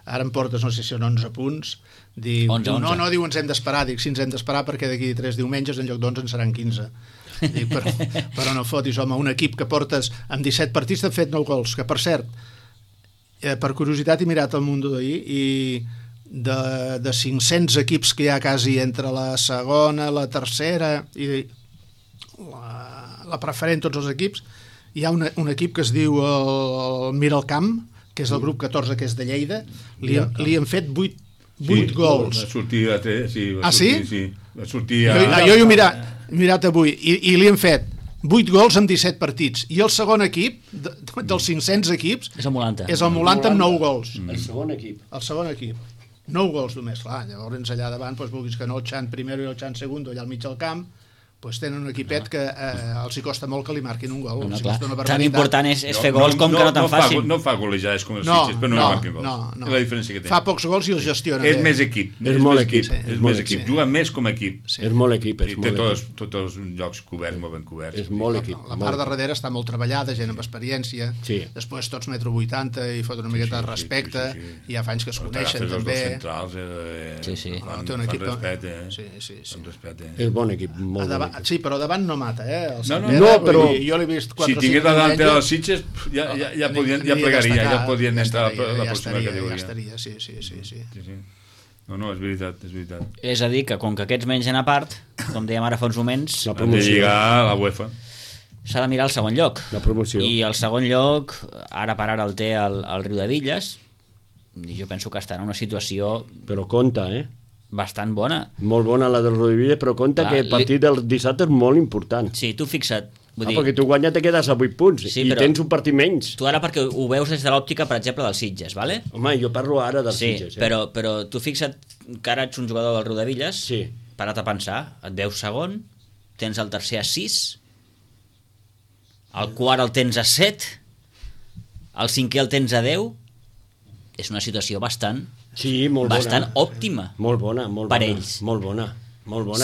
ara em portes, no sé si són 11 punts, diu, 11. no, diu, ens hem d'esperar, dic, sí, ens hem d'esperar perquè d'aquí 3 diumenges en lloc d'11 en seran 15. Dic, però no fotis, home, un equip que portes amb 17 partits t'han fet 9 gols, que per cert, per curiositat he mirat el Mundo d'ahir i de 500 equips que hi ha quasi entre la segona, la tercera i la preferent, tots els equips, hi ha un equip que es diu el Miralcamp, que és el grup 14, que és de Lleida, li han fet 8 gols. Va sortir a 3, sí. Sí? Va sortir a... Jo he mirat avui i li han fet 8 gols en 17 partits. I el segon equip, dels 500 equips, És el Molanta. és el Molanta amb 9 gols. El segon equip. El segon equip. 9 gols només, clar. Llavors allà davant, vulguis que no, el Xan primer i el Xan segon, allà al mig del camp, tenen un equipet que els hi costa molt que li marquin un gol. No, clar. Tan important és fer gols com que no te'n facin. No fa golejades com els Sitges, però no marquen gols. No. És la diferència que té. Fa pocs gols i els gestiona És bé. més equip. És molt equip. És més equip. Juga més com a equip. És molt equip. I té tots els llocs coberts, molt ben coberts. És molt equip. La part de darrere està molt treballada, gent amb experiència. Sí. Després tots 1,80 m i fot una miqueta de respecte. I ja fa anys que es coneixen també. Els centrals fan respecte. Sí. És bon equip. Molt bon equip. Sí, però davant no mata, No, però... Jo l'he vist 4 si tingués davant els Sitges ja plegaria, ja podien entrar a la pròxima categoria. Ja estaria, sí. No, és veritat. És a dir, que com que aquests mengen a part, com dèiem ara fa uns moments, Han de lligar a la UEFA. s'ha de mirar el segon lloc. La promoció. I el segon lloc, ara per ara el té el Riudevilles, i jo penso que estarà en una situació Però compta, bastant bona. Molt bona la del Rodivilla, però compta que el partit del dissabte és molt important. Sí, tu fixa't. Vull dir, perquè tu guanyes te quedes a 8 punts i tens un partit menys. tu ara perquè ho veus des de l'òptica, per exemple, dels Sitges, ¿vale? Home, jo parlo ara dels Sitges. Però tu fixa't que ara ets un jugador del Riudevilles, Sí. para't a pensar, et veus segon, tens el tercer a 6, el quart el tens a 7, el cinquè el tens a 10, és una situació bastant òptima. Molt bona. Per ells. Molt bona.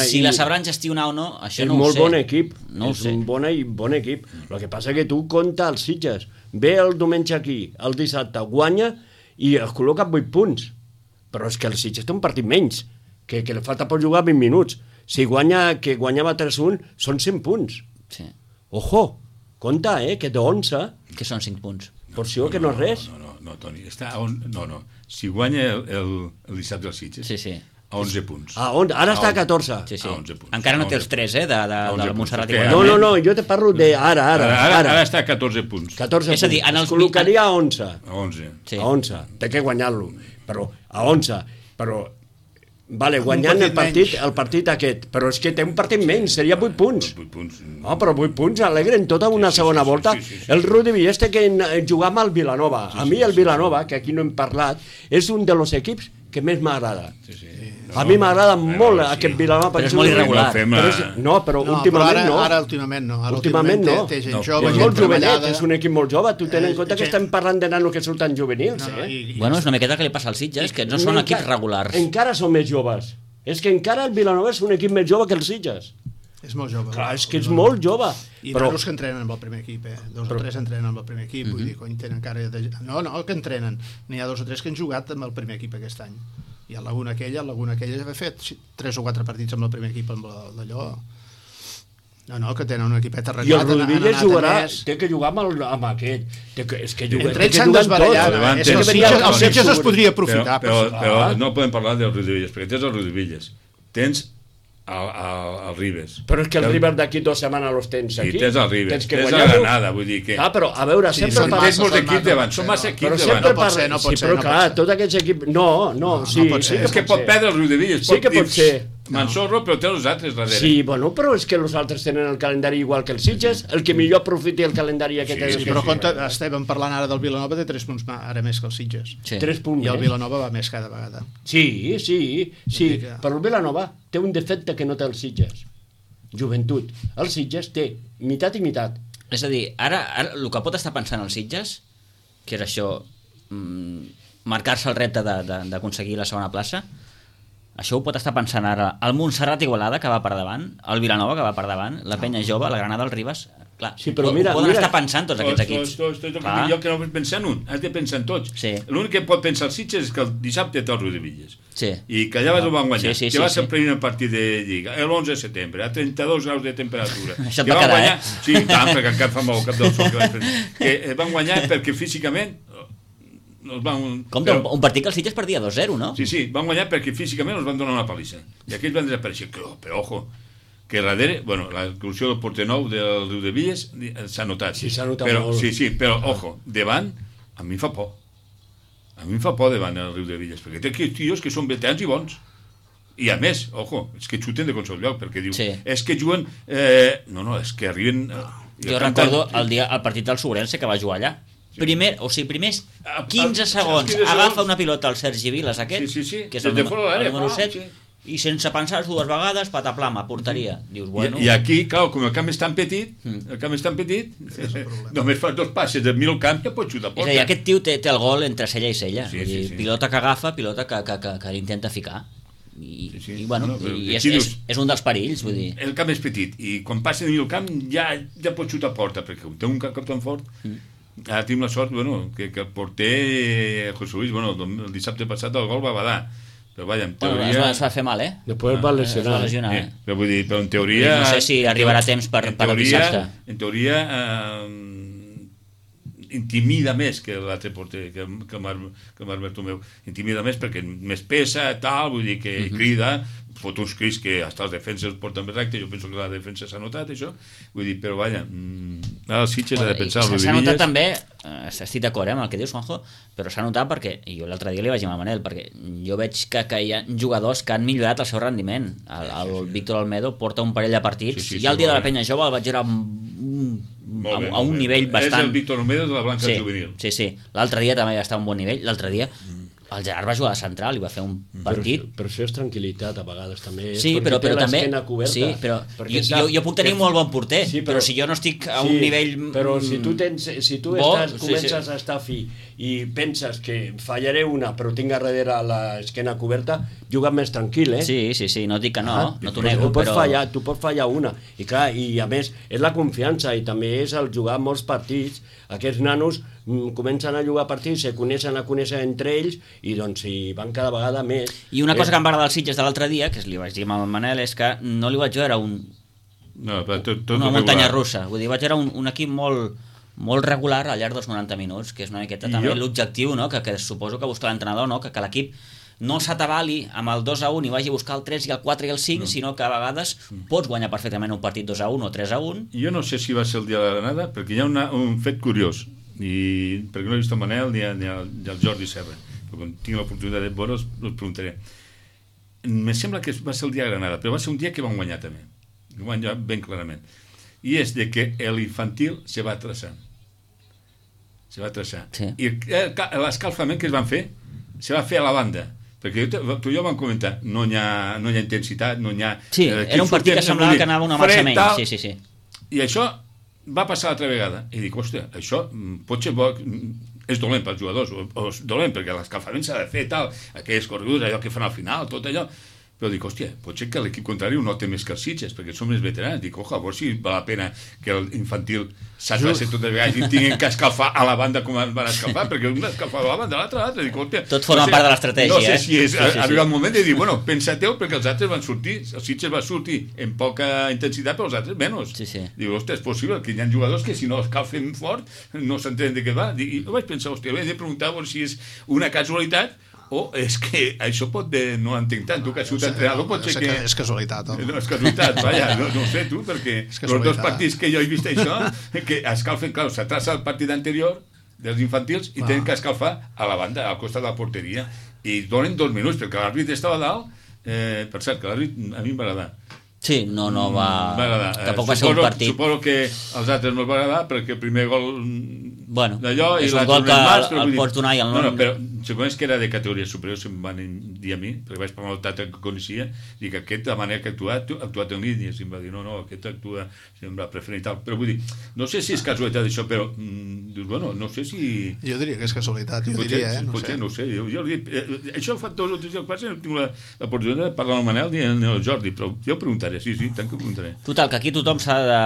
Si la sabran gestionar o no, això no ho sé. És molt bon equip. No ho sé. És un bon equip. El que passa que tu compta els Sitges. Ve el diumenge aquí, el dissabte, guanya i es col·loca amb 8 punts. Però és que el Sitges té un partit menys, que li falta per jugar 20 minuts. Si que guanyava 3-1, són 100 punts. Sí. Ojo, compte, que té 11. Que són 5 punts. Porció, que no és res. No, Toni, està a no. Si guanya el dissabte del Sitges, Sí. a 11 punts. Ara està a 14. Sí. A 11 punts. Encara no té els 3, de Montserrat i punts. Guadalajara. No, jo te parlo de ara. Ara està a 14 punts. 14 És a dir, punts. en els Es col·locaria a 11. A 11. Sí. A 11. Té que guanyar-lo. Però a 11. Però, vale, guanyant el partit aquest. Però és que té un partit menys, seria 8 punts. 8 punts. Però 8 punts alegren tota una segona volta. El Rudi Villés té que jugar amb el Vilanova. A mi el Vilanova, que aquí no hem parlat, és un dels equips que més m'agrada. A mi m'agrada molt aquest Vilanova. Però és molt irregular. Però últimament no. Ara últimament no. Últimament no. Té gent jove, És gent molt jovenet, treballada. és un equip molt jove. Tu tens en compte que estem parlant de nanos que surten juvenils, Bueno, és una miqueta que li passa als Sitges, que no són equips regulars. Encara són més joves. És que encara el Vilanova és un equip més jove que els Sitges. És molt jove. Clar, és que és molt jove. I Però nanos que entrenen amb el primer equip, 2 o 3 entrenen amb el primer equip, vull dir, cony, tenen encara... No, que entrenen. N'hi ha 2 o 3 que han jugat amb el primer equip aquest any. I a Laguna aquella ha fet 3 o 4 partits amb el primer equip, amb d'allò... No, que tenen un equipet i arreglat. el Rodríguez jugarà, té que jugar amb aquest. És que Entre ells s'han desbarallat. És que el Sitges es podria aprofitar. Però no podem parlar del Rudivilles, perquè tens el Rudivilles. Tens el Ribes. Però és que el Ribes d'aquí 2 setmanes los tens aquí. I tens el Ribes, Tens que tens la guanyar-lo. Granada, vull dir que... Però, a veure, sempre són Tens molts equips davant, són massa Però equips sempre davant. No pot ser. Però clar, tots aquests equips... No, sí pot ser. És que pot perdre el Rudivilles. Sí que pot ser. Mansorro, però té els altres darrere. Sí, bueno, però és que els altres tenen el calendari igual que els Sitges, el que millor aprofiti el calendari aquest és Sí, però compte, estem parlant ara del Vilanova de 3 punts ara més que els Sitges. Sí. 3 punts. I el Vilanova va més cada vegada. Sí, que- però el Vilanova té un defecte que no té els Sitges. Joventut. El Sitges té meitat i meitat. És a dir, ara el que pot estar pensant els Sitges, que és això, marcar-se el repte d'aconseguir la segona plaça, això ho pot estar pensant ara el Montserrat Igualada, que va per davant, el Vilanova, que va per davant, la Penya Jove, la Granada, el Ribes... Clar, Sí, però mira, ho poden mira. estar pensant tots aquests equips. Jo que no vull pensar en un, has de pensar en tots. Sí. L'únic que pot pensar els Sitges és que el dissabte té el Rudivilles. Sí. I que allà ho van guanyar. Sí, que va sí. ser el primer partit de Lliga, l'11 de setembre, a 32 graus de temperatura. Això et que va van quedar, guanyar, Sí, tant, perquè encara fa molt cap del sol. Que van guanyar perquè físicament... Els van, Compte, un partit que el Sitges perdia 2-0, no? Sí, van guanyar perquè físicament els van donar una palissa. I aquells van desaparèixer. Però ojo, que darrere, bueno, l'exclusió del porter nou del Riudevilles s'ha notat. Sí, s'ha notat però, molt. Sí, però ojo, davant, a mi em fa por. A mi em fa por davant el Riudevilles, perquè té aquells tios que són veterans i bons. I a més, ojo, és que xuten de qualsevol lloc, perquè diu, Sí. és que juguen... és que arriben... Jo recordo el partit del Sobrense que va jugar allà. Primers 15 segons agafa una pilota al Sergi Vilas aquest, Sí. que és el Des de fora de l'àrea, número 7, sí. i sense pensar 2 vegades, pataplama, porteria. Dius, bueno... I aquí, clar, com el camp és tan petit, només fas 2 passes de mig camp i ja pots xutar a És a porta. dir, aquest tio té el gol entre cella i cella. Sí, Vull dir, sí. pilota que agafa, pilota que l'intenta ficar. I bueno, però i aquí dius- és un dels perills, vull dir. El camp és petit i quan passa de mig camp ja pots xutar a porta, perquè té un cap tan fort. Ara tenim la sort, que el porter José Luis, el dissabte passat el gol va badar, però vaja, en Bueno, teoria... es va fer mal, Després va Es va lesionar, Però vull dir, però en teoria... No sé si arribarà a temps per el dissabte. En teoria intimida més que l'altre porter, que el Marc Bertomeu. Intimida més perquè més pesa, tal, vull dir que crida, fot uns crits que hasta els defenses porten més recte, jo penso que la defensa s'ha notat, això. Vull dir, però vaja, ara el Sitges ha de pensar... S'ha notat també, estic d'acord amb el que dius, Juanjo, però s'ha notat perquè, i jo l'altre dia li vaig dir a Manel, perquè jo veig que hi ha jugadors que han millorat el seu rendiment. El Víctor Almedo porta un parell de partits, i el dia de la Penya Jove el vaig veure a un nivell bastant... És el Víctor Almedo de la Blanca Juvenil. Sí. L'altre dia també va estar a un bon nivell. L'altre dia el Gerard va jugar de central i va fer un partit... Però això és tranquil·litat a vegades també. Sí, però també... Coberta, Sí, però jo puc tenir un molt bon porter, sí, però si jo no estic a un nivell... Però si tu comences a estar fi i penses que fallaré una però tinc a darrere l'esquena coberta, juga més tranquil, Sí, no dic que no t'ho nego, però... Tu pots fallar una. I clar, i a més, és la confiança i també és el jugar molts partits. Aquests nanos comencen a jugar partits, se coneixen entre ells i doncs hi van cada vegada més. I una cosa que em va agradar als Sitges de l'altre dia, que li vaig dir al Manel, és que no li vaig veure una muntanya russa. Vull dir, vaig veure un equip molt regular al llarg dels 90 minuts, que és una miqueta també l'objectiu, no? que suposo que busca l'entrenador, no? que l'equip no s'atabali amb el 2-1 i vagi a buscar el 3 i el 4 i el 5, sinó que a vegades pots guanyar perfectament un partit 2-1 o 3-1. Jo no sé si va ser el dia de la Granada, perquè hi ha un fet curiós, i perquè no he vist el Manel ni el Jordi Serra, però quan tinc l'oportunitat de veure els preguntaré. Me sembla que va ser el dia de Granada, però va ser un dia que van guanyar també, guanyar ben clarament, i és de que l'infantil se va traçar, sí. I l'escalfament que es van fer se va fer a la banda, perquè tu i jo vam comentar, no hi ha intensitat, no hi ha... Sí, era un partit que semblava que anava una marxa menys, sí. I això va passar l'altra vegada, i dic, hòstia, això pot ser bo, és dolent pels jugadors, o és dolent perquè l'escalfament s'ha de fer tal, aquelles corregudes, allò que fan al final, tot allò, però dic, hòstia, pot ser que l'equip contrari ho nota més que els Sitges, perquè som més veterans. Dic, oja, a veure si val la pena que l'infantil s'atrassi totes les vegades i tinguin que escalfar a la banda com van escalfar, perquè un escalfava a la banda, l'altre. Dic, hòstia... Tot forma part de l'estratègia, No sé si és arribar el moment de dir, bueno, pensateu, perquè els altres van sortir, els Sitges van sortir en poca intensitat, però els altres menys. Dic, hòstia, és possible que hi ha jugadors que si no escalfen fort no s'entenen de què va. I vaig pensar, hòstia, he de preguntar si és una casualitat o és que això pot de... no entenc tant, tu que has sigut entrenador pot ser que... És casualitat, home. No, és casualitat, vaja, no sé tu, perquè els dos partits que jo he vist això, que escalfen, clar, s'atrasa el partit anterior dels infantils i tenen que escalfar a la banda, al costat de la porteria, i donen 2 minuts, perquè l'àrbit estava dalt, per cert, que l'àrbit a mi em va agradar. Sí, no va... Tampoc va ser un partit. Suposo que als altres no els va agradar perquè el primer gol d'allò és un gol que el pots donar i el no, però segons que era de categoria superior se'm van dir a mi, perquè vaig parlar amb el Tata que coneixia, dic, aquest la manera que ha actuat en línia, i em va dir, no, aquest actua em va preferir i tal, però vull dir, no sé si és casualitat això, però dius, bueno, no sé si... Jo diria que és casualitat, no sé. Jo dic, això fa 2 o 3 dies que passa, no tinc l'oportunitat de parlar amb el Manel ni el Jordi, però jo preguntaré, sí, tant que preguntaré. Total, que aquí tothom s'ha de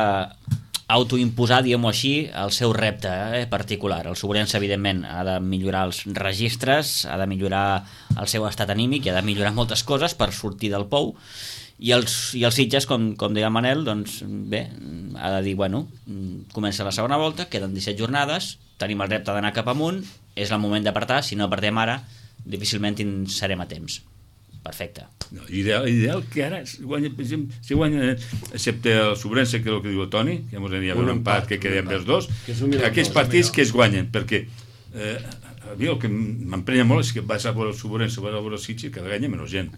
autoimposar, diguem-ho així, el seu repte particular. El Sobrense, evidentment, ha de millorar els registres, ha de millorar el seu estat anímic i ha de millorar moltes coses per sortir del pou, i els Sitges, com deia el Manel, doncs bé, ha de dir, bueno, comença la segona volta, queden 17 jornades, tenim el repte d'anar cap amunt, és el moment d'apartar, si no apartem ara, difícilment serem a temps. Perfecte. No, ideal que ara si guanya, excepte el Sobrense, que és el que diu el Toni, que ens aniria un empat que quedem els dos, aquests partits que es guanyen, perquè a mi el que m'emprenya molt és que vas a veure el Sobrense, vas a veure el Sitges, cada guanya menys gent.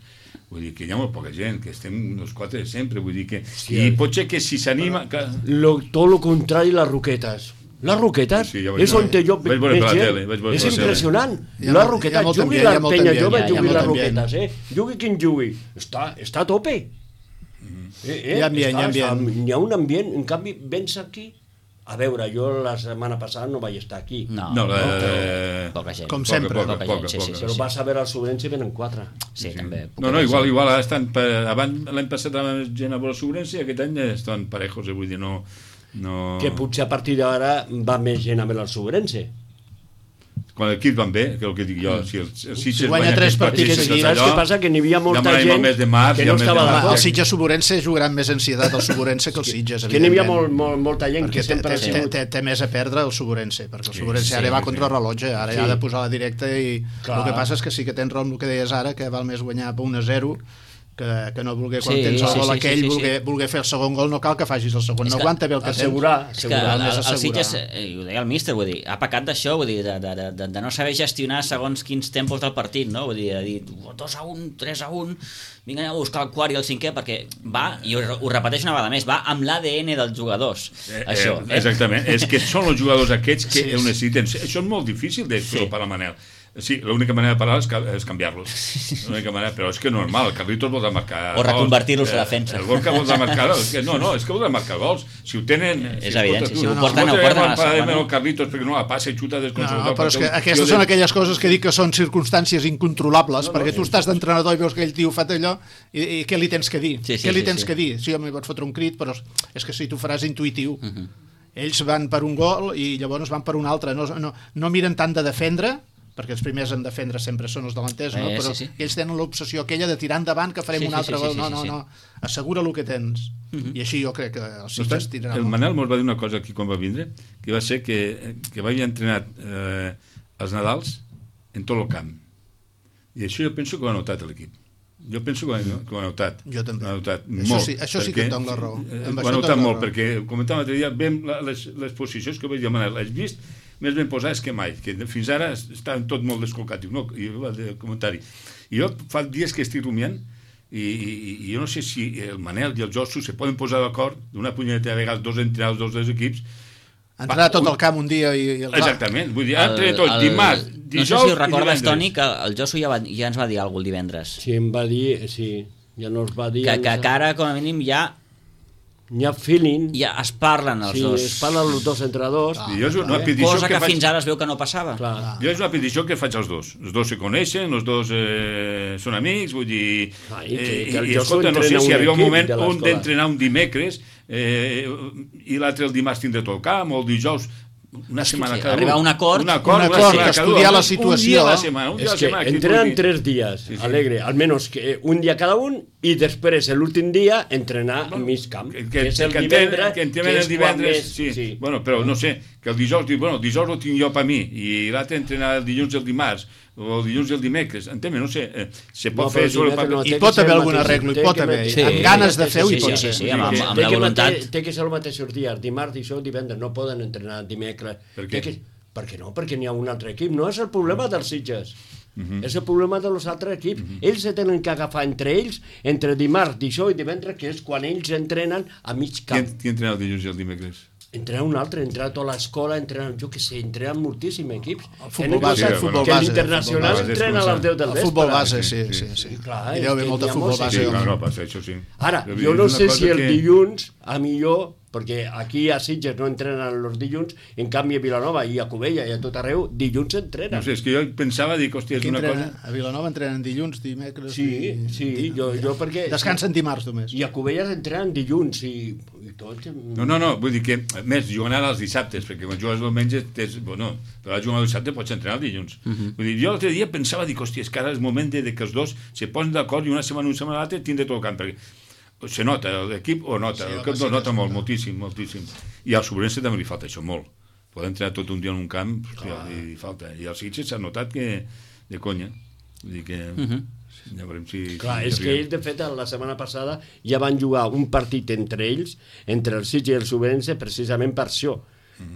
Vull dir que hi ha molt poca gent, que estem els 4 de sempre, vull dir que... I pot ser que si s'anima... Tot el contrari, les Roquetes. Les Roquetes és on jo veig gent. És impressionant. Les Roquetes, jugui la penya jove, jugui les Roquetes. Jugui quin jugui. Està a tope. Hi ha un ambient. En canvi, vens aquí... A veure, jo la setmana passada no vaig estar aquí. No, poca gent. Com sempre. Però vas a veure el Sobrense i venen 4. Sí, també. No, igual estan... Abans l'any passat anaven gent a veure el Sobrense i aquest any estan parejos, vull dir, no... Que potser a partir d'ara va més gent a veure el Sobrense. Quan l'equip van bé, que és el que dic jo, si el Sitges guanya 3 partits seguits, saps què passa? Que n'hi havia molta gent que no estava d'acord. El Sitges Sobrense jugaran més ansietat el Sobrense que el Sitges, que n'hi havia molta gent que sempre té més a perdre el Sobrense, perquè el Sobrense ara va contra el rellotge, ara ha de posar la directa, i el que passa és que sí que tens raó amb el que deies ara, que val més guanyar per 1-0 que no voler, quan tens el gol aquell, voler fer el segon gol, no cal que facis el segon, no aguanta bé el que tens. És que el Sitges, ho deia el míster, vull dir, ha pecat d'això, vull dir, de no saber gestionar segons quins tempos del partit, no? Vull dir, de dir 2-1, 3-1, vinga a buscar el quart i el cinquè, perquè va, i ho repeteixo una vegada més, va amb l'ADN dels jugadors, això. Exactament, és que són els jugadors aquests que ho necessiten. Això és molt difícil de fer per la Manel. Sí, l'única manera de parar és canviar-los. L'única manera, però és que normal, el Carlitos vol marcar o reconvertir-los a defensa. El gol que vol marcar, no, és que vol marcar gols. Si ho tenen... És evident, si ho porten a la el Carlitos perquè no la passa i xuta desconsolat. No, però és que aquestes són aquelles coses que dic que són circumstàncies incontrolables, perquè tu estàs d'entrenador i veus que aquell tio fa allò i què li tens que dir? Què li tens que dir? Sí, home, pots fotre un crit, però és que si tu faràs intuïtiu ells van per un gol i llavors van per un altre, no miren tant de defendre, perquè els primers en defendre sempre són els delanters, no? Però sí. ells tenen l'obsessió aquella de tirar endavant que farem un altre gol, no, assegura el que tens, i així jo crec que els Sitges tiraran. El Manel mos va dir una cosa aquí quan va vindre, que va ser que havia entrenat els Nadals en tot el camp, i això jo penso que ho ha notat l'equip. Jo penso que ho ha notat. Jo també. Ho ha notat molt. Això sí que et dono la raó. Ho ha notat molt, perquè comentàvem l'altre dia, veiem les posicions que vaig dir, Manel, has vist més ben posades que mai, que fins ara estaven tot molt descol·locats. No, i el comentari. I jo fa dies que estic rumiant i jo no sé si el Manel i el Josu se poden posar d'acord d'una punyeta de vegades, dos entrenadors dels dos equips. Entrenar tot el camp un dia i... Exactament, vull dir, entrenar tot dimarts, dijous i divendres. No sé si ho recordes, Toni, que el Josu ja ens va dir alguna cosa el divendres. Sí, em va dir, sí, ja no es va dir... Que ara, com a mínim, ja... Hi ha feeling. Ja es parlen els dos. Sí, es parlen els dos entrenadors. Cosa que fins ara es veu que no passava. Jo és una petició que faig als dos. Els dos se coneixen, els dos són amics, vull dir... I escolta, no sé si arriba un moment on d'entrenar un dimecres i l'altre el dimarts tindrà tot el camp, o el dijous... una setmana cada arribar a un acord, estudiar la situació. És que entrenan 3 dies, Alegre, almenys que un dia cada un, i després l'últim dia entrenar a mig camp, que és el divendres, que entrenen el divendres, sí. Bueno, però no sé, que el dijous diu, bueno, el dijous ho tinc jo per mi, i l'altre entrenar el dilluns i el dimarts, o el dilluns i el dimecres, entén-me, no sé, se pot fer sobre el paper. Hi pot haver algun arreglo, hi pot haver, amb ganes de fer-ho hi pot ser. Sí, amb la voluntat. Té que ser els mateixos dies, dimarts, dijous, divendres, no poden entrenar dimecres. Per què? Perquè no, perquè n'hi ha un altre equip, no és el problema dels Sitges. És el problema dels altres equips. Ells se tenen que agafar entre ells, entre dimarts, dijous i divendres, que és quan ells entrenen a mig camp. Qui entrena el dilluns i el dimecres? Entrenar un altre, entrenar tota l'escola, entrenar, jo què sé, entrenar moltíssims equips. El futbol base, que l'internacional entrena a les 10 del vespre. El futbol base, sí. Clar, hi deu haver molt de futbol base. Sí, no, passa, això sí. Ara, jo no sé si el dilluns, a millor, perquè aquí a Sitges no entrenen els dilluns, en canvi a Vilanova i a Cubella i a tot arreu, dilluns entrenen. No sé, és que jo pensava, dic, hòstia, és una cosa... A Vilanova entrenen dilluns, dimecres... Sí, jo perquè... Descansen dimarts només. I a Cubella entrenen dilluns i tot... No, vull dir que, més, juguen ara els dissabtes, perquè quan jugues el diumenge, bueno, però jugant el dissabte pots entrenar el dilluns. Vull dir, jo l'altre dia pensava, dic, hòstia, és que ara és moment de que els dos se posen d'acord i una setmana l'altra tindre tot el camp, perquè se nota, l'equip ho nota, l'equip ho nota molt, moltíssim. I al Sobrense també li falta això molt. Poden entrenar tot un dia en un camp, hòstia, li falta. I als Sitges s'ha notat que de conya. Vull dir que... Ja veurem si... Clar, és que ells, de fet, la setmana passada ja van jugar un partit entre ells, entre el Sitges i el Sobrense, precisament per això,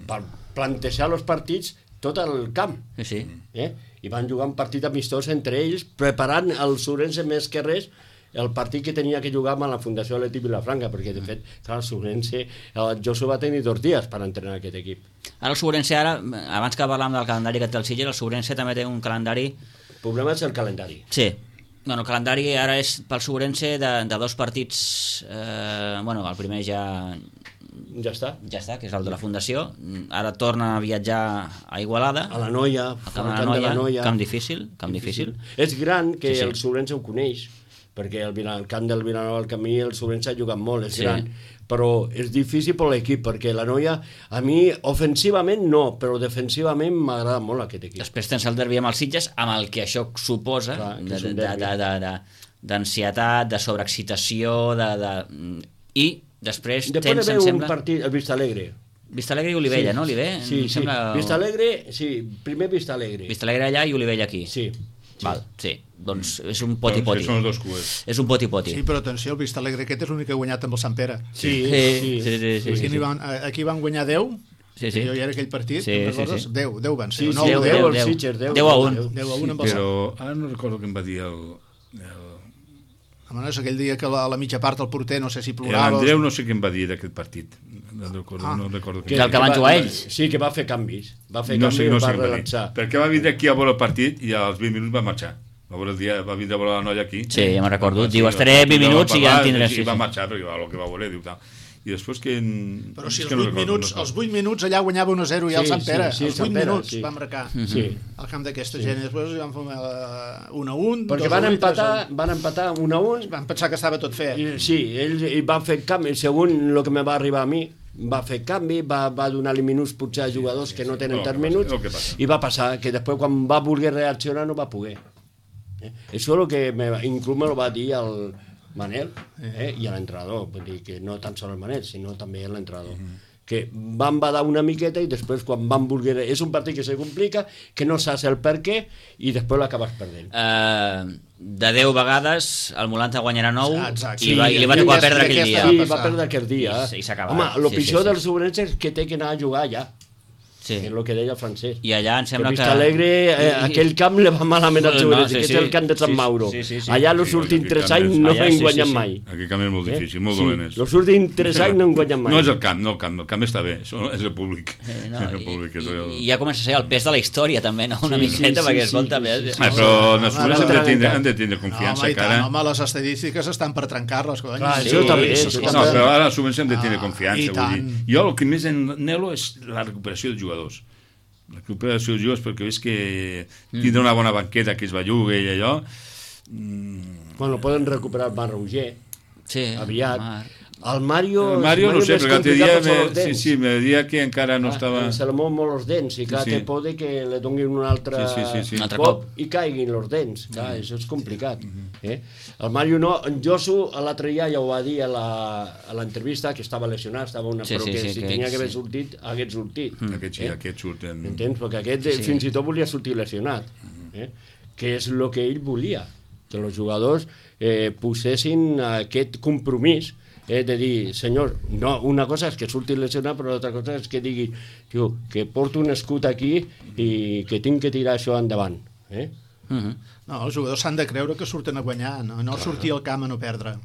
per plantejar els partits tot el camp. Sí. I van jugar un partit amistós entre ells, preparant el Sobrense més que res el partit que tenia que jugar amb la Fundació Atlètic Vilafranca, perquè de fet, clar, el Sobrense, el Josu va tenir 2 dies per entrenar aquest equip. Ara el Sobrense, abans que parlàvem del calendari que té el Sitges, el Sobrense també té un calendari... El problema és el calendari. Sí. Bueno, el calendari ara és pel Sobrense de 2 partits... Bueno, el primer ja està, que és el de la Fundació. Ara torna a viatjar a Igualada. A la Noia, al camp de la Noia. Camp difícil. És gran que el Sobrense ho coneix, perquè el camp del Vilanova al camí el Sobrense ha jugat molt, és gran, però és difícil per l'equip, perquè la Noia, a mi, ofensivament no, però defensivament m'agrada molt aquest equip. Després tens el derbi amb els Sitges, amb el que això suposa, d'ansietat, de sobreexcitació, i després tens, em sembla... un partit, el Vistalegre. Vistalegre i Olivella, no, Oliver? Sí. Vistalegre, sí, primer Vistalegre. Vistalegre allà i Olivella aquí. Sí. Val, sí, doncs és un poti-poti. Són els dos cues. És un poti-poti. Sí, però atenció, el Vistalegre aquest és l'únic que ha guanyat amb el Sant Pere. Sí. Aquí van guanyar 10, jo hi era aquell partit, 10 van ser. 10 a 1. Però ara no recordo què em va dir el... És aquell dia que a la mitja part el porter no sé si plorava... L'Andreu no sé què em va dir d'aquest partit. No recordo què. El que van jugar ells? Sí, que va fer canvis. Va relaxar. Perquè va vindre aquí a veure el partit i als 20 minuts va marxar. Va vindre a veure la noia aquí. Sí, ja me'n recordo. Diu, estaré 20 minuts i ja en tindré. I va marxar perquè el que va voler, diu tal. I després que... Però si els 8 minuts allà guanyava 1-0 i el Sant Pere, els 8 minuts va marcar al camp d'aquesta gent, i després van fer 1-1. Perquè van empatar 1-1. Van pensar que estava tot fet. Sí, ells van fer camp, segons el que me va arribar a mi, va fer canvi, va donar-li minuts potser a jugadors que no tenen tants minuts, i va passar que després quan va voler reaccionar no va poder. Això és el que inclús me lo va dir el Manel i l'entrenador, vull dir que no tan sols el Manel, sinó també l'entrenador. Que van badar una miqueta i després quan van voler... És un partit que se complica, que no saps el per què i després l'acabes perdent. De 10 vegades el Molanta guanyarà 9 Exacte. i li va tocar perdre aquell dia. Sí, va perdre aquell dia. I s'ha acabat. Home, el pitjor dels Sobrense és que té que anar a jugar allà. Sí. És el que deia el francès. I allà em sembla que... Vistalegre, aquell camp li va malament al Sobrense, que és el camp de Sant Mauro. Allà els últims 3 anys no han guanyat mai. Aquell camp és molt difícil, molt dolent. Els últims 3 anys no han guanyat mai. No és el camp, el camp està bé, és el públic. I ja comença a ser el pes de la història també, no? Una miqueta, perquè escolta... Però els Sobrense han de tindre confiança, cara. Home, les estadístiques estan per trencar-les, cony. Això també. No, però ara els Sobrense han de tindre confiança. Jo el que més anhelo és la recuperació dels jugadors. La recuperació dels jugadors, perquè veus que tindrà una bona banqueta que es belluga i allò. Bueno, poden recuperar el Mar Roger aviat. El Mario no sé, perquè l'altre dia me deia que encara no estava... Se li mou molt els dents i clar, té por que li donin un altre cop i caiguin els dents. Clar, això és complicat. El Mario no, en Josu l'altre dia ja ho va dir a l'entrevista que estava lesionat, però que si tenia que haver sortit, hagués sortit. Aquest surten... Entens? Perquè aquest fins i tot volia sortir lesionat. Que és el que ell volia, que els jugadors posessin aquest compromís de dir, senyor, no, una cosa és que surti lesionat, però l'altra cosa és que digui, tio, que porto un escut aquí i que tinc que tirar això endavant. No, els jugadors s'han de creure que surten a guanyar, no sortir al camp a no perdre.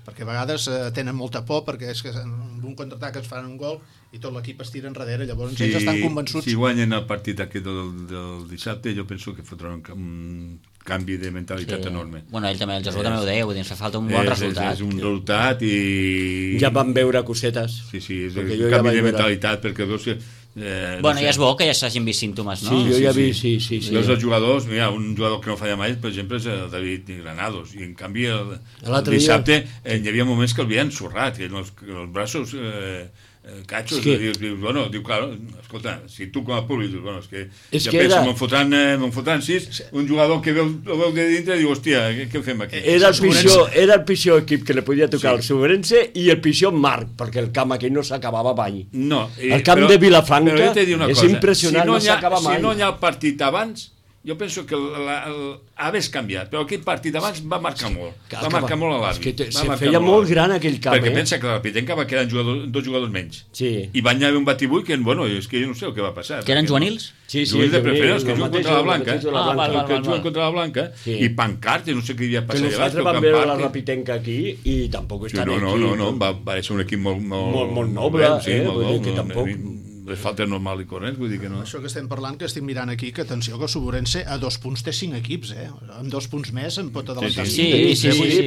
Perquè a vegades tenen molta por, perquè és que en un contraatac es fan un gol i tot l'equip es tira enrere, llavors ells estan convençuts. Si guanyen el partit aquest del dissabte, jo penso que fotran un canvi de mentalitat enorme. Bueno, el Jesús també ho deia, vull dir, ens fa falta un bon resultat. És un resultat i... Ja van veure cosetes. Sí, és un canvi de mentalitat, perquè veus que... Bueno, ja és bo que ja s'hagin vist símptomes, no? Sí, jo ja vi, sí. Veus els jugadors, mira, un jugador que no falla mai, per exemple, és el David Granados, i en canvi el dissabte hi havia moments que el havien ensorrat, que els braços... catxos, diu, claro, escolta, si tu com a públic dius, bueno, és que penso, me'n fotran 6, un jugador que el veu de dintre diu, hòstia, què fem aquí? Era el pitjor equip que li podia tocar el Sobrense i el pitjor Marc, perquè el camp aquell no s'acabava mai. El camp de Vilafranca és impressionant, no s'acaba mai. Si no hi ha el partit abans, jo penso que hagués canviat, però aquell partit abans va marcar molt. Va marcar molt a l'àrbit. Se feia molt gran aquell camp. Perquè pensa que la Pitenca va quedar 2 jugadors menys. I van haver un batibull que, bueno, és que jo no sé el que va passar. Que eren juvenils? Sí, juvenils de preferents, que juguen contra la Blanca. Que juguen contra la Blanca. I Pancartes, no sé què hi havia passat. Que nosaltres vam veure la Rapitenca aquí i tampoc estan aquí. No, va ser un equip molt noble. Vull dir que tampoc... les faltes normal i corrents, vull dir que no. Això que estem parlant, que estic mirant aquí, que atenció, que el Sobrense a 2 punts té 5 equips, amb 2 punts més en pot adelantar. Sí,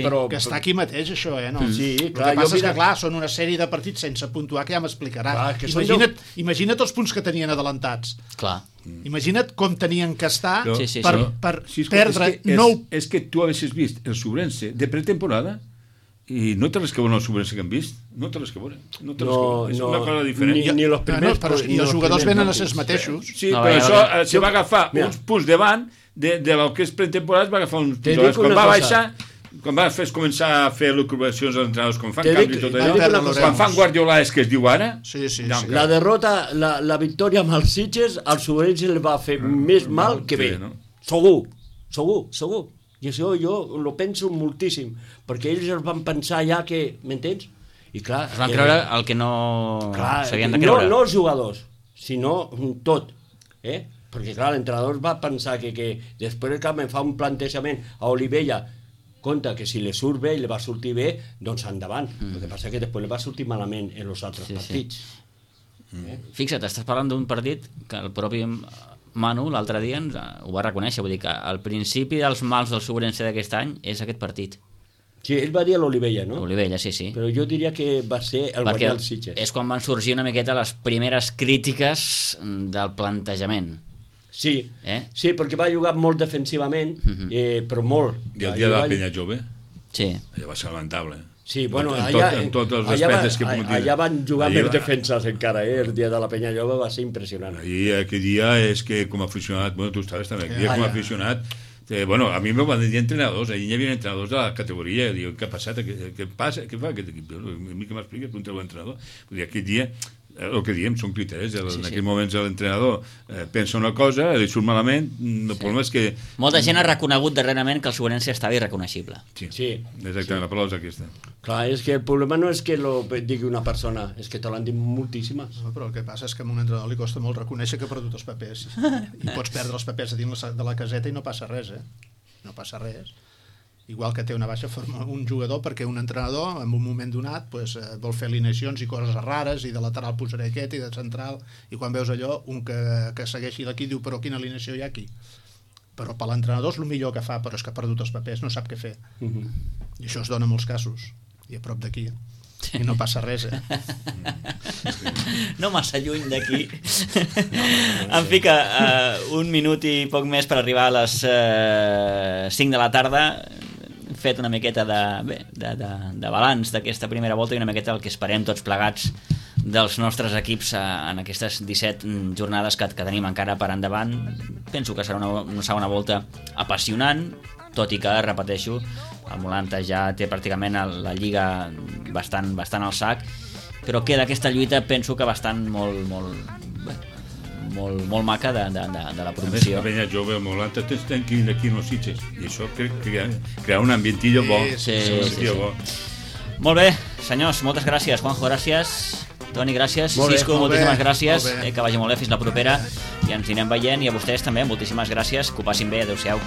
però... Que està aquí mateix, això, no? Sí, clar, el que passa és que, clar, són una sèrie de partits sense puntuar, que ja m'explicarà. Imagina't els punts que tenien adelantats. Clar. Imagina't com tenien que estar per perdre 9... És que tu haguessis vist el Sobrense de pretemporada i no té res que veure el Sobrense que hem vist. No té res que veure. És una cosa diferent. Ni els primers... I els jugadors venen a ser els mateixos. Sí, però això se va agafar uns punts davant de lo que és pretemporada, es va agafar uns punts. Quan va baixar, quan va començar a fer recuperacions als entrenadors, quan fan canvis i tot allò, quan fan guardiolades que es diu ara... La derrota, la victòria amb els Sitges, al Sobrense li va fer més mal que bé. Segur. I això jo ho penso moltíssim, perquè ells es van pensar ja que, m'entens? I clar... Es van creure el que no s'havien de creure. No els jugadors, sinó tot. Perquè clar, l'entrenador va pensar que després que em fa un plantejament a Olivella, compte que si li surt bé i li va sortir bé, doncs endavant. El que passa que després li va sortir malament en els altres partits. Fixa't, estàs parlant d'un partit que el propi Manu l'altre dia ho va reconèixer, vull dir que el principi dels mals del Sobrense d'aquest any és aquest partit. Sí, ell va dir a l'Olivella, no? L'Olivella, sí. Però jo diria que va ser el guanyar els Sitges. És quan van sorgir una miqueta les primeres crítiques del plantejament. Sí, perquè va jugar molt defensivament, però molt. I el dia de la penya jove? Sí. Allò va ser lamentable. Sí, bueno, en tots els aspectes que puguem dir. allà van jugar més defenses encara, el dia de la Penyalloba va ser impressionant. I aquell dia és que com a aficionat, bueno, tu estaves també, aquell dia com a aficionat, bueno, a mi m'ho van dir entrenadors, allà hi havia entrenadors de la categoria, diu, què ha passat, què passa, què fa aquest equip? A mi que m'explica, pregunta l'entrenador. Vull dir, aquell dia, el que diem són criteris, en aquells moments l'entrenador pensa una cosa, li surt malament, el problema és que... Molta gent ha reconegut darrerament que el Sobrense estava irreconeixible. Sí, exactament, la paraula és aquesta. Clar, és que el problema no és que lo digui una persona, és que te l'han dit moltíssimes. No, però el que passa és que a un entrenador li costa molt reconèixer que ha perdut els papers. I pots perdre els papers a dins de la caseta i no passa res, No passa res. Igual que té una baixa forma un jugador perquè un entrenador en un moment donat pues, vol fer alineacions i coses rares i de lateral posaré aquest i de central i quan veus allò un que segueixi l'equip diu però quina alineació hi ha aquí, però per l'entrenador és el millor que fa, però és que ha perdut els papers, no sap què fer. I això es dona en molts casos i a prop d'aquí i no passa res, No massa lluny d'aquí. En fi que un minut i poc més per arribar a les 5 de la tarda. Hem fet una miqueta de balanç d'aquesta primera volta i una miqueta el que esperem tots plegats dels nostres equips en aquestes 17 jornades que tenim encara per endavant. Penso que serà una segona volta apassionant, tot i que, repeteixo, el Molanta ja té pràcticament la Lliga bastant al sac, però queda aquesta lluita, penso que bastant molt maca de la promoció. A més, la jove, el Molanta tenen que ir aquí en els Sitges, i això crea un ambientillo bo. Sí. Molt bé, senyors, moltes gràcies. Juanjo, gràcies. Toni, gràcies. Cisco, moltíssimes gràcies. Que vagi molt bé, fins la propera. I ens anirem veient. I a vostès també, moltíssimes gràcies. Que ho passin bé. Adéu-siau.